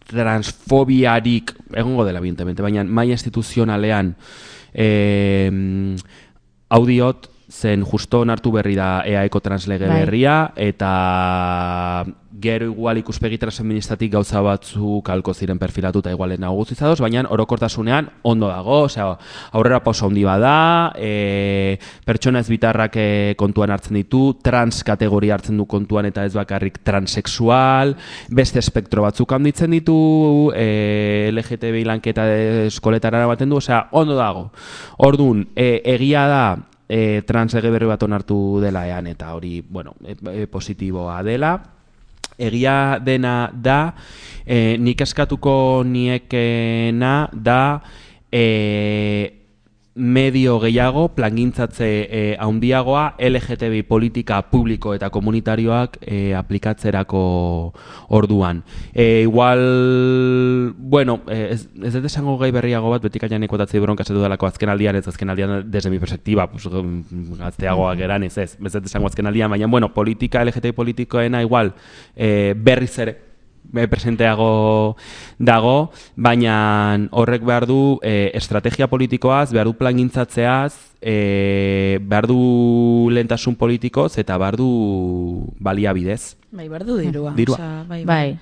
transfobiarik, egongo dela evidentemente, baina maila instituzionalean e, audiot zen justo onartu berri da eaeko translege Bai. berria, eta gero igual ikuspegi transfeministatik gauza batzuk halko ziren perfilatuta igualen nagusi zadoz, baina orokortasunean ondo dago, osea, aurrera pauso handi bada, e, pertsona ez bitarrak e, kontuan hartzen ditu, trans kategoria hartzen du kontuan eta ez bakarrik transexual, beste espektro batzuk handitzen ditu, e, L G T B I lanketa eskoletara baten du, osea, ondo dago. Orduan, e, egia da, E, translege berri bat onartu dela ean, eta hori, bueno, e, e, positiboa dela. Egia dena da, e, nik eskatuko niekena da e, medio gehiago, plangintzatze e, handiagoa L G T B I politika publiko eta komunitarioak e, aplikatzerako orduan. E, igual, bueno, e, ez, ez dut esango gai berriago bat, betik aian ekotatzei bronka zetu dalako azken aldian, ez azken aldian desde mi perspektiba, pues, gazteagoak eran, ez ez, ez dut esango azken aldian, baina, bueno, politika, L G T B I politikoena igual, e, berriz ere, presenteago dago, baina horrek behar du e, estrategia politikoaz, behar du plangintzatzeaz, e, behar du lehentasun politikoz eta behar du baliabidez. Bai, behar du dirua. Dirua. Osea, bai, Bai.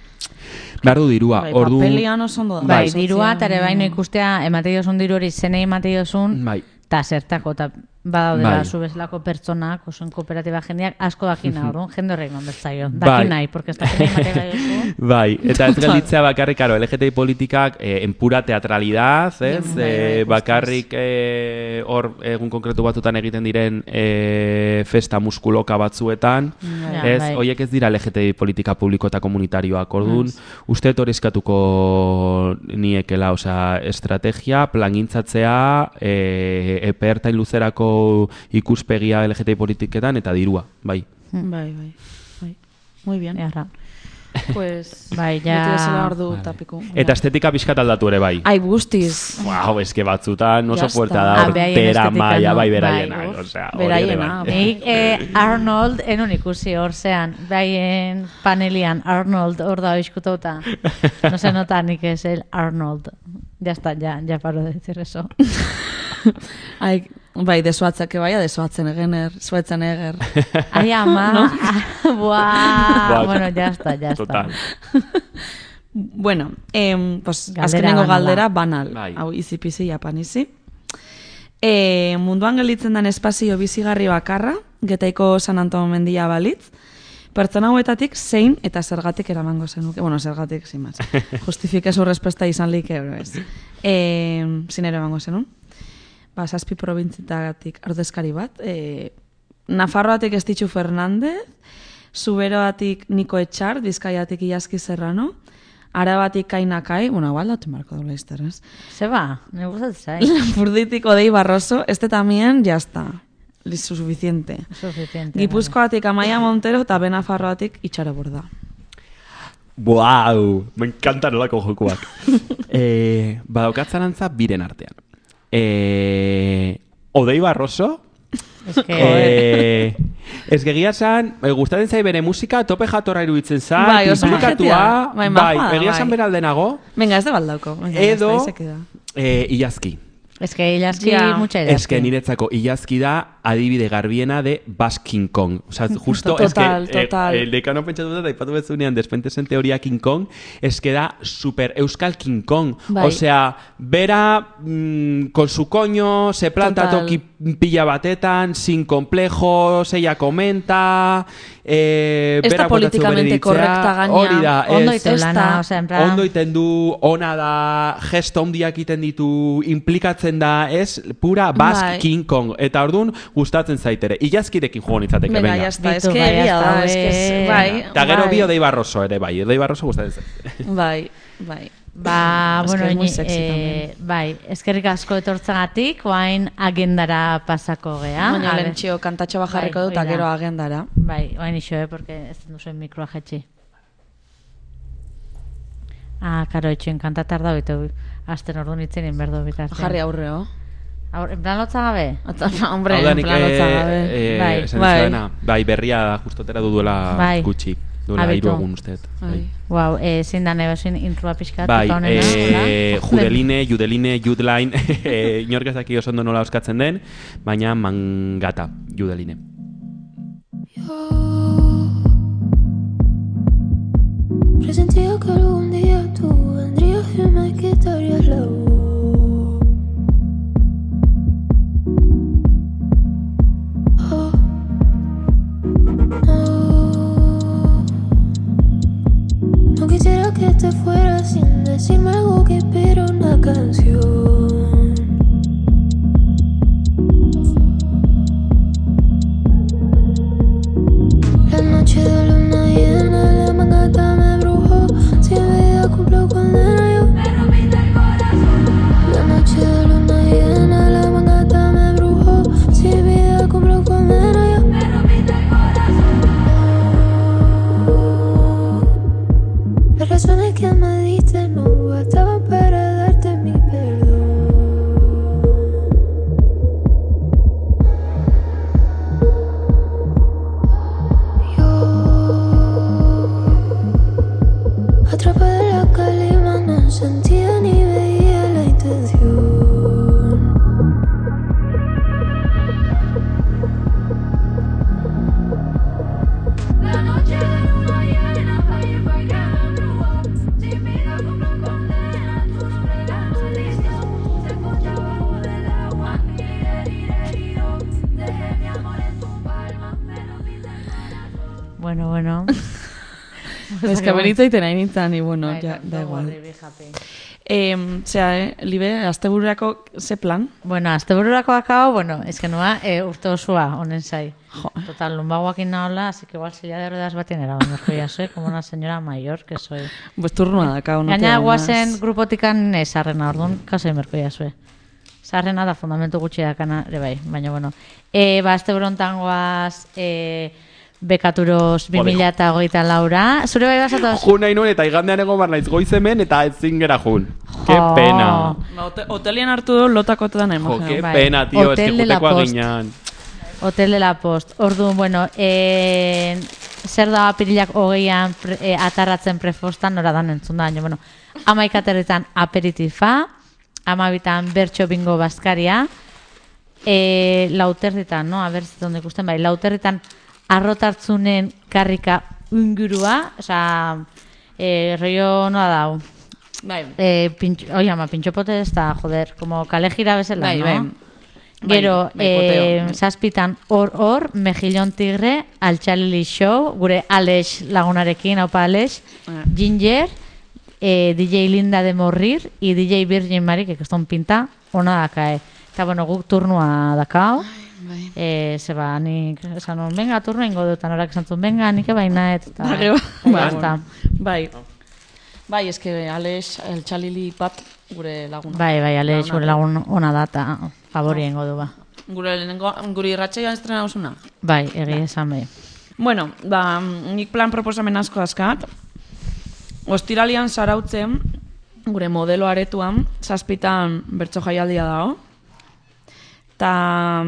Behar du dirua. Bai, Ordu, papelian oso ondo da. Bai, Sozial- dirua, eta ere baino ikustea, ematei dozun diru hori zenei ematei dozun, bai. eta zertako, eta badaudela Bai. zu bezalako pertsonak, oso kooperatiba jendeak, asko dakina, orduan, jende horrein manbertzaio. Bai. Daki nahi, porque ez dakina ematei bai duzu. Bai, eta ez gelditzea bakarrik, karo, L G T B I politikak eh, en pura teatralidad, ez? Bai, bai, Eh, guztiz. bakarrik eh, hor egun konkretu batzutan egiten diren eh, festa muskuloka batzuetan, Ja, ez? bai. Hoiek ez dira L G T B I politika publiko eta komunitarioak, orduan, uste dut hori eskatuko niekela, osea, estrategia, plangintzatzea, eh, epe ertain luzerako ikuspegia L G T B I politiketan eta dirua, bai. Bai, bai, bai. Muy bien. Earra. Pues, Bai, ja. beti bezala ordu tapiko. Eta estetika pixkat aldatu ere bai. Ai, guztiz. Wow, eske batzutan oso Ya fuerte está. da, Ah, beraien tera estetika, maia, no? bai, Bai, beraienak, uf, osea, hori ere beraiena, bai. Nik eh, Arnold enun ikusi hor zean, baien panelian Arnold hor da oizkutauta. No se nota ni que es el Arnold. Ya está, ya, ya paro de decir eso. Ai, bai, desuatzak ebaia, desuatzen egener, zuetzen eger. Ai, ama. Buah. Buah. Bueno, ya está, ya está. Total. Bueno, em, pues, Galdera azkenengo banala. galdera banal. Bai. Hau, izi-pizi, japanizi. E, munduan gelditzen den espazio bizigarri bakarra, Getaiko San Antonio mendia balitz, pertsona hauetatik zein eta zergatik eramango zenuke. Bueno, zergatik, sin más. Justifikezu respuesta izan like, ero ez. E, zin ere emango zenun. Ba, zazpi probintzitatik ordezkari bat. E, Nafarroatik Estitxu Fernandez, Zuberoatik Niko Etxar, Bizkaiatik Iaski Serrano, Arabatik Kainakai, bueno, igual daten marko dola izterraz. Se va, me gusta el sai. Lapurdítik Odei Barroso, este también, ya está. Listo, suficiente. Suficiente. Gipuzkoatik Amaia Montero eta Benafarroatik Itxaro Borda. Wow, me encantan olako jokuak. eh, Badaukatzen antza biren artean. Eh, Odei Barroso, Es que... eh, ez gegia zan, eh, gustatzen zai bere musika, tope jatorra iruditzen zan, Bai, oso implikatua, majetea. Bai, bai, majoa da, egia bai. zan beraldenago, Venga, ez da baldauko. Venga, edo, ya está, ahí se queda. eh, Ilazki. Es que Ilaski Ja. mucha idea. Ez que niretzako Ilazki da adibide garbiena de Bass King Kong. O sea, justo, es que Total, total. Eh, el decano pentsatu dut, aipatu bezunean despentesen teoria King Kong, es que da super euskal King Kong. Bai. O sea, bera mm, con su coño, se planta Total. toki pilla batetan, sin complejos, ella comenta... Eh, Ez da berak botatzen políticamente bere iritzia. correcta gaina. Hori da, Ondo ez- iten ez lana, da- o sea, en plan... Ondo iten du, ona da, gesto handiak iten ditu, implikatzen da, ez, pura Basque Bai. King Kong. Eta orduan, gustatzen zaitere. Ilazkirekin jugo nitzateke, Venga, venga. ya está, es Bitu, que bai, egia ya da, está, es que, eh. bai. Eta gero bai, bi Odei Barroso ere, bai, Odei Barroso gustatzen zait. Bai, bai. Ba, Es que bueno, es muy ini, sexy eh, bai, eskerrik asko etortzagatik, oain agendara pasako gea. Baina A ver. lehentxio kantatxo bajarriko Bai, dut, eta hori da. gero agendara. Bai, oain iso, eh, porque ez duzuen mikroa jetxi. Ah, karo, itxoen kantatar da, bitu, asten ordu nitzen inberdo bitartean. Jarri aurreo. Aur, en plan lotza gabe? Ata, hombre, Hau da, en nik, plan lotza gabe. eh, Bai. esan Bai. dizuena, bai, berria da, justotera du duela Bai. gutxi. Duela Abitu. hiru egun usteet. Bai. Wow, eh, zein da nebesin introa pixkat, Bai, eta honena, eh, hola? Judeline, Judeline, Judeline, eh, inork ez daki oso ondo nola oskatzen den, baina mangata, Judeline. Presentía que algún día tú vendrías y me quitarías la voz. Oh, no. No quisiera que te fueras sin decirme algo que inspira una canción. La noche de luna llena, la mangata me brujó. Si mi vida cumplió condena, yo me rompiste el corazón. La noche de luna llena, la mangata me brujó. Si mi vida cumplió condena, yo me rompiste el corazón. Las razones que me diste no bastaban para darte mi perdón. Atrapada en la calima, no sentía ni veía la intención. La noche de luna llena, ahí fue que me embrujó. Sin vida como condena, tu nombre la maldición. Se escucha bajo del agua, iré, iré, yo. Dejé mi amor en tu palma, me rompiste el corazón. Bueno, bueno. Ez que benitzaiten hain nintzen, y bueno, Bai, ja, da don't igual. worry, be happy. Eh, Zea, eh, Libe, astebururako ze plan? Bueno, astebururako akabo, bueno, es que noa eh, urte osoa honen zai. Jo. Total, lumbagoakin nahola, así que igual silla de ruedas batien eraban, merko ya soy, como una señora mayor que soy. Pues turnua daka, no te Gaina da guazen más. grupotikan eh, sarrena, orduan, kasei merko ya soy. Sarrena da fundamentu gutxi dakana, ere bai, baina bueno. E, ba, asteburontan goaz, e, bekaturos bi mila hogeita laura. Zure bai basatoz? Jun nahi nuen eta igandean egon bar naiz goizemen eta ezin gera jun. Ke Jo. pena. Ba, hote, hotelien hartu du lotakotetan Jo, emojeo. ke bai. pena, tio, ez que Hotel de la jutekoa Post. ginean. Hotel de la Post. Orduan, bueno, e, zer da apirilak hogeian pre, e, atarratzen prefostan, nora dan entzun da, baina, bueno, amaikaterritan aperitifa, amabitan bertxo bingo baskaria, e, lauterritan, no? A ber, donde ikusten, bai, lauterritan arrotartzunen karrika ingurua, oza, e, rollo noa dau. Bai, Eh, pincho, oye, ama, pintxopote ez da, joder, como kale gira bezala, bai, no? bai. Gero, bai, eh, poteo, bai. zazpitan hor hor, Mejillon Tigre, Altxalili Show, gure Alex lagunarekin, haupa Alex, Ah. Ginger, eh, D J Linda de Morrir, y D J Virgin Mari, que keston pinta, ona dakae. Eta, bueno, guk turnua dakao, Bai. eh, zeba, nik esan nun, venga, turno ingo dut, anorak esan zuen, venga, nik ebaina, eta, Da, gero, eta bai, basta. bai. Bai, eske Alex, el txalili bat gure laguna. Bai, bai, Alex, Launa. gure lagun ona da, eta favori ingo du, ba. Gure lehenengo, guri irratxeia estrena osuna. Bai, egia esan bai. Bueno, ba, nik plan proposamen asko askat. Ostiralian zarautzen, gure modelo aretuan, zazpitan bertso jaialdia dago. Ta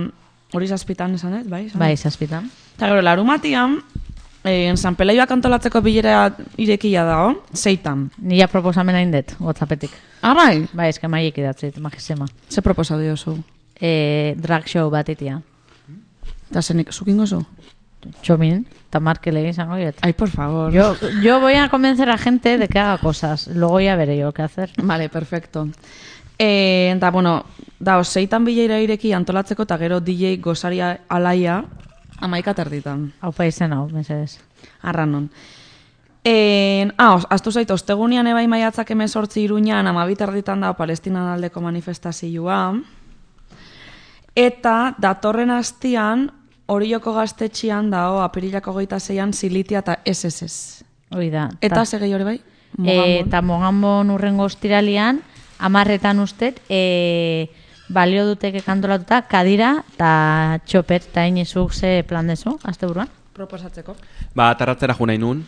hori zazpitan esan ez, bai? esan Bai, dut? zazpitan. Eta gero, larumatian, eh, San Peleioak antolatzeko bilera irekia dago, zeitan. Nila proposamena indet, WhatsAppetik. Ah, bai? Bai, eske maiek idatzit, magisema. Ze proposatu diozu? E, drag show bat itia. Eta zenik, zukingo zu? Txomin, eta markele izango diet. Ai, por favor. Yo, yo voy a convencer a gente de que haga cosas. Luego ya veré yo qué hacer. Vale, perfecto. Eh, eta, bueno, da, zeitan bilera ireki antolatzeko, eta gero D J gozaria alaia amaika terditan. Haupa izen hau, mesedez. Arranon. Eh, ah, os- astu zait, ostegunian ebai maiatzak emezortzi iruñan, amabit erditan da Palestinan aldeko manifestazioa. Eta datorren astian, Orioko gaztetxian dao, apirilako hogeita zeian, Silitia eta S S S. Hoi da. Eta segei hori bai? E, eta Mogambon urrengo ostiralian, amarretan ustet, e, balio duteke kantolatuta, kadira eta txopet, eta inizuk ze plan dezu, azte buruan? Proposatzeko. Ba, tarratzera jo nahi nun,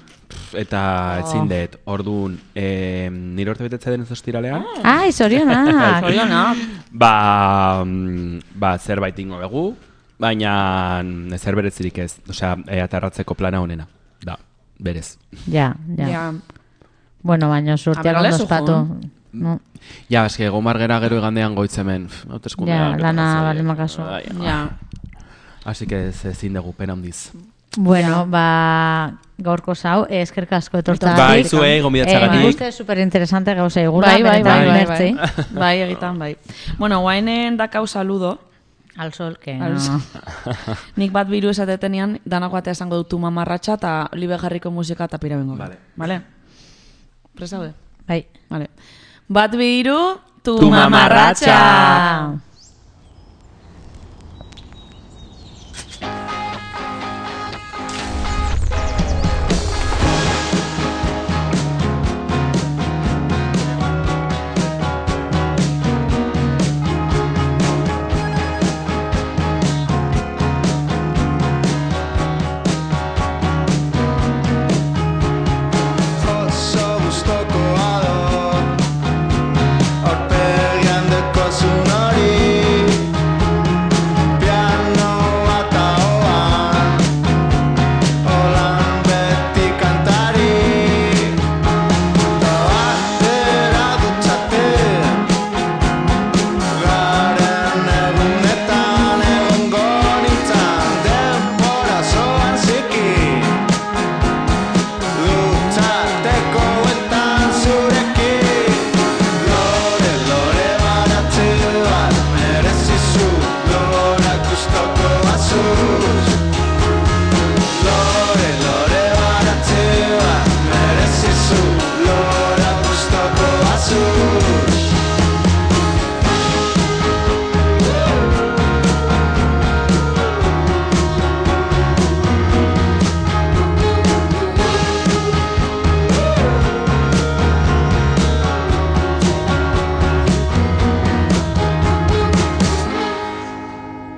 eta Oh. etzin dut, orduan, e, nire urte betetze den ez ostiralean, Ah, izorionak! Zorionak. ba, mm, ba, zerbait ingo begu, baina zer berezirik ez, osea, e, atarratzeko plana honena, da, berez. Ja, ja. Ja. Bueno, baina surtiak A ver, ondo lezu, espatu. jo. No. Ja, eske gomar gera gero igandean goitzemen, hauteskunde. Ja, lana bale makaso. Ja. Así que ez ezin dugu pena handiz. Bueno, ba, gaurko zau, eh, eskerrik asko etortzagatik. Bai, zuei, gonbidatzeagatik. Eh, nik uste superinteresante gauza egula, Bai, bai, benetan bai, bai, mertzi. bai. Bai, egitan, bai. Bueno, guainen dakau saludo. Al sol, que Al no. sol. Nik bat biru esatetenean, danako batea esango dutu mamarratxa eta libe jarriko musika eta pira bengo. Vale. Vale? Presaude? Bai. Vale. Bat biru, tu, Tu mamarratxa! mamarratxa!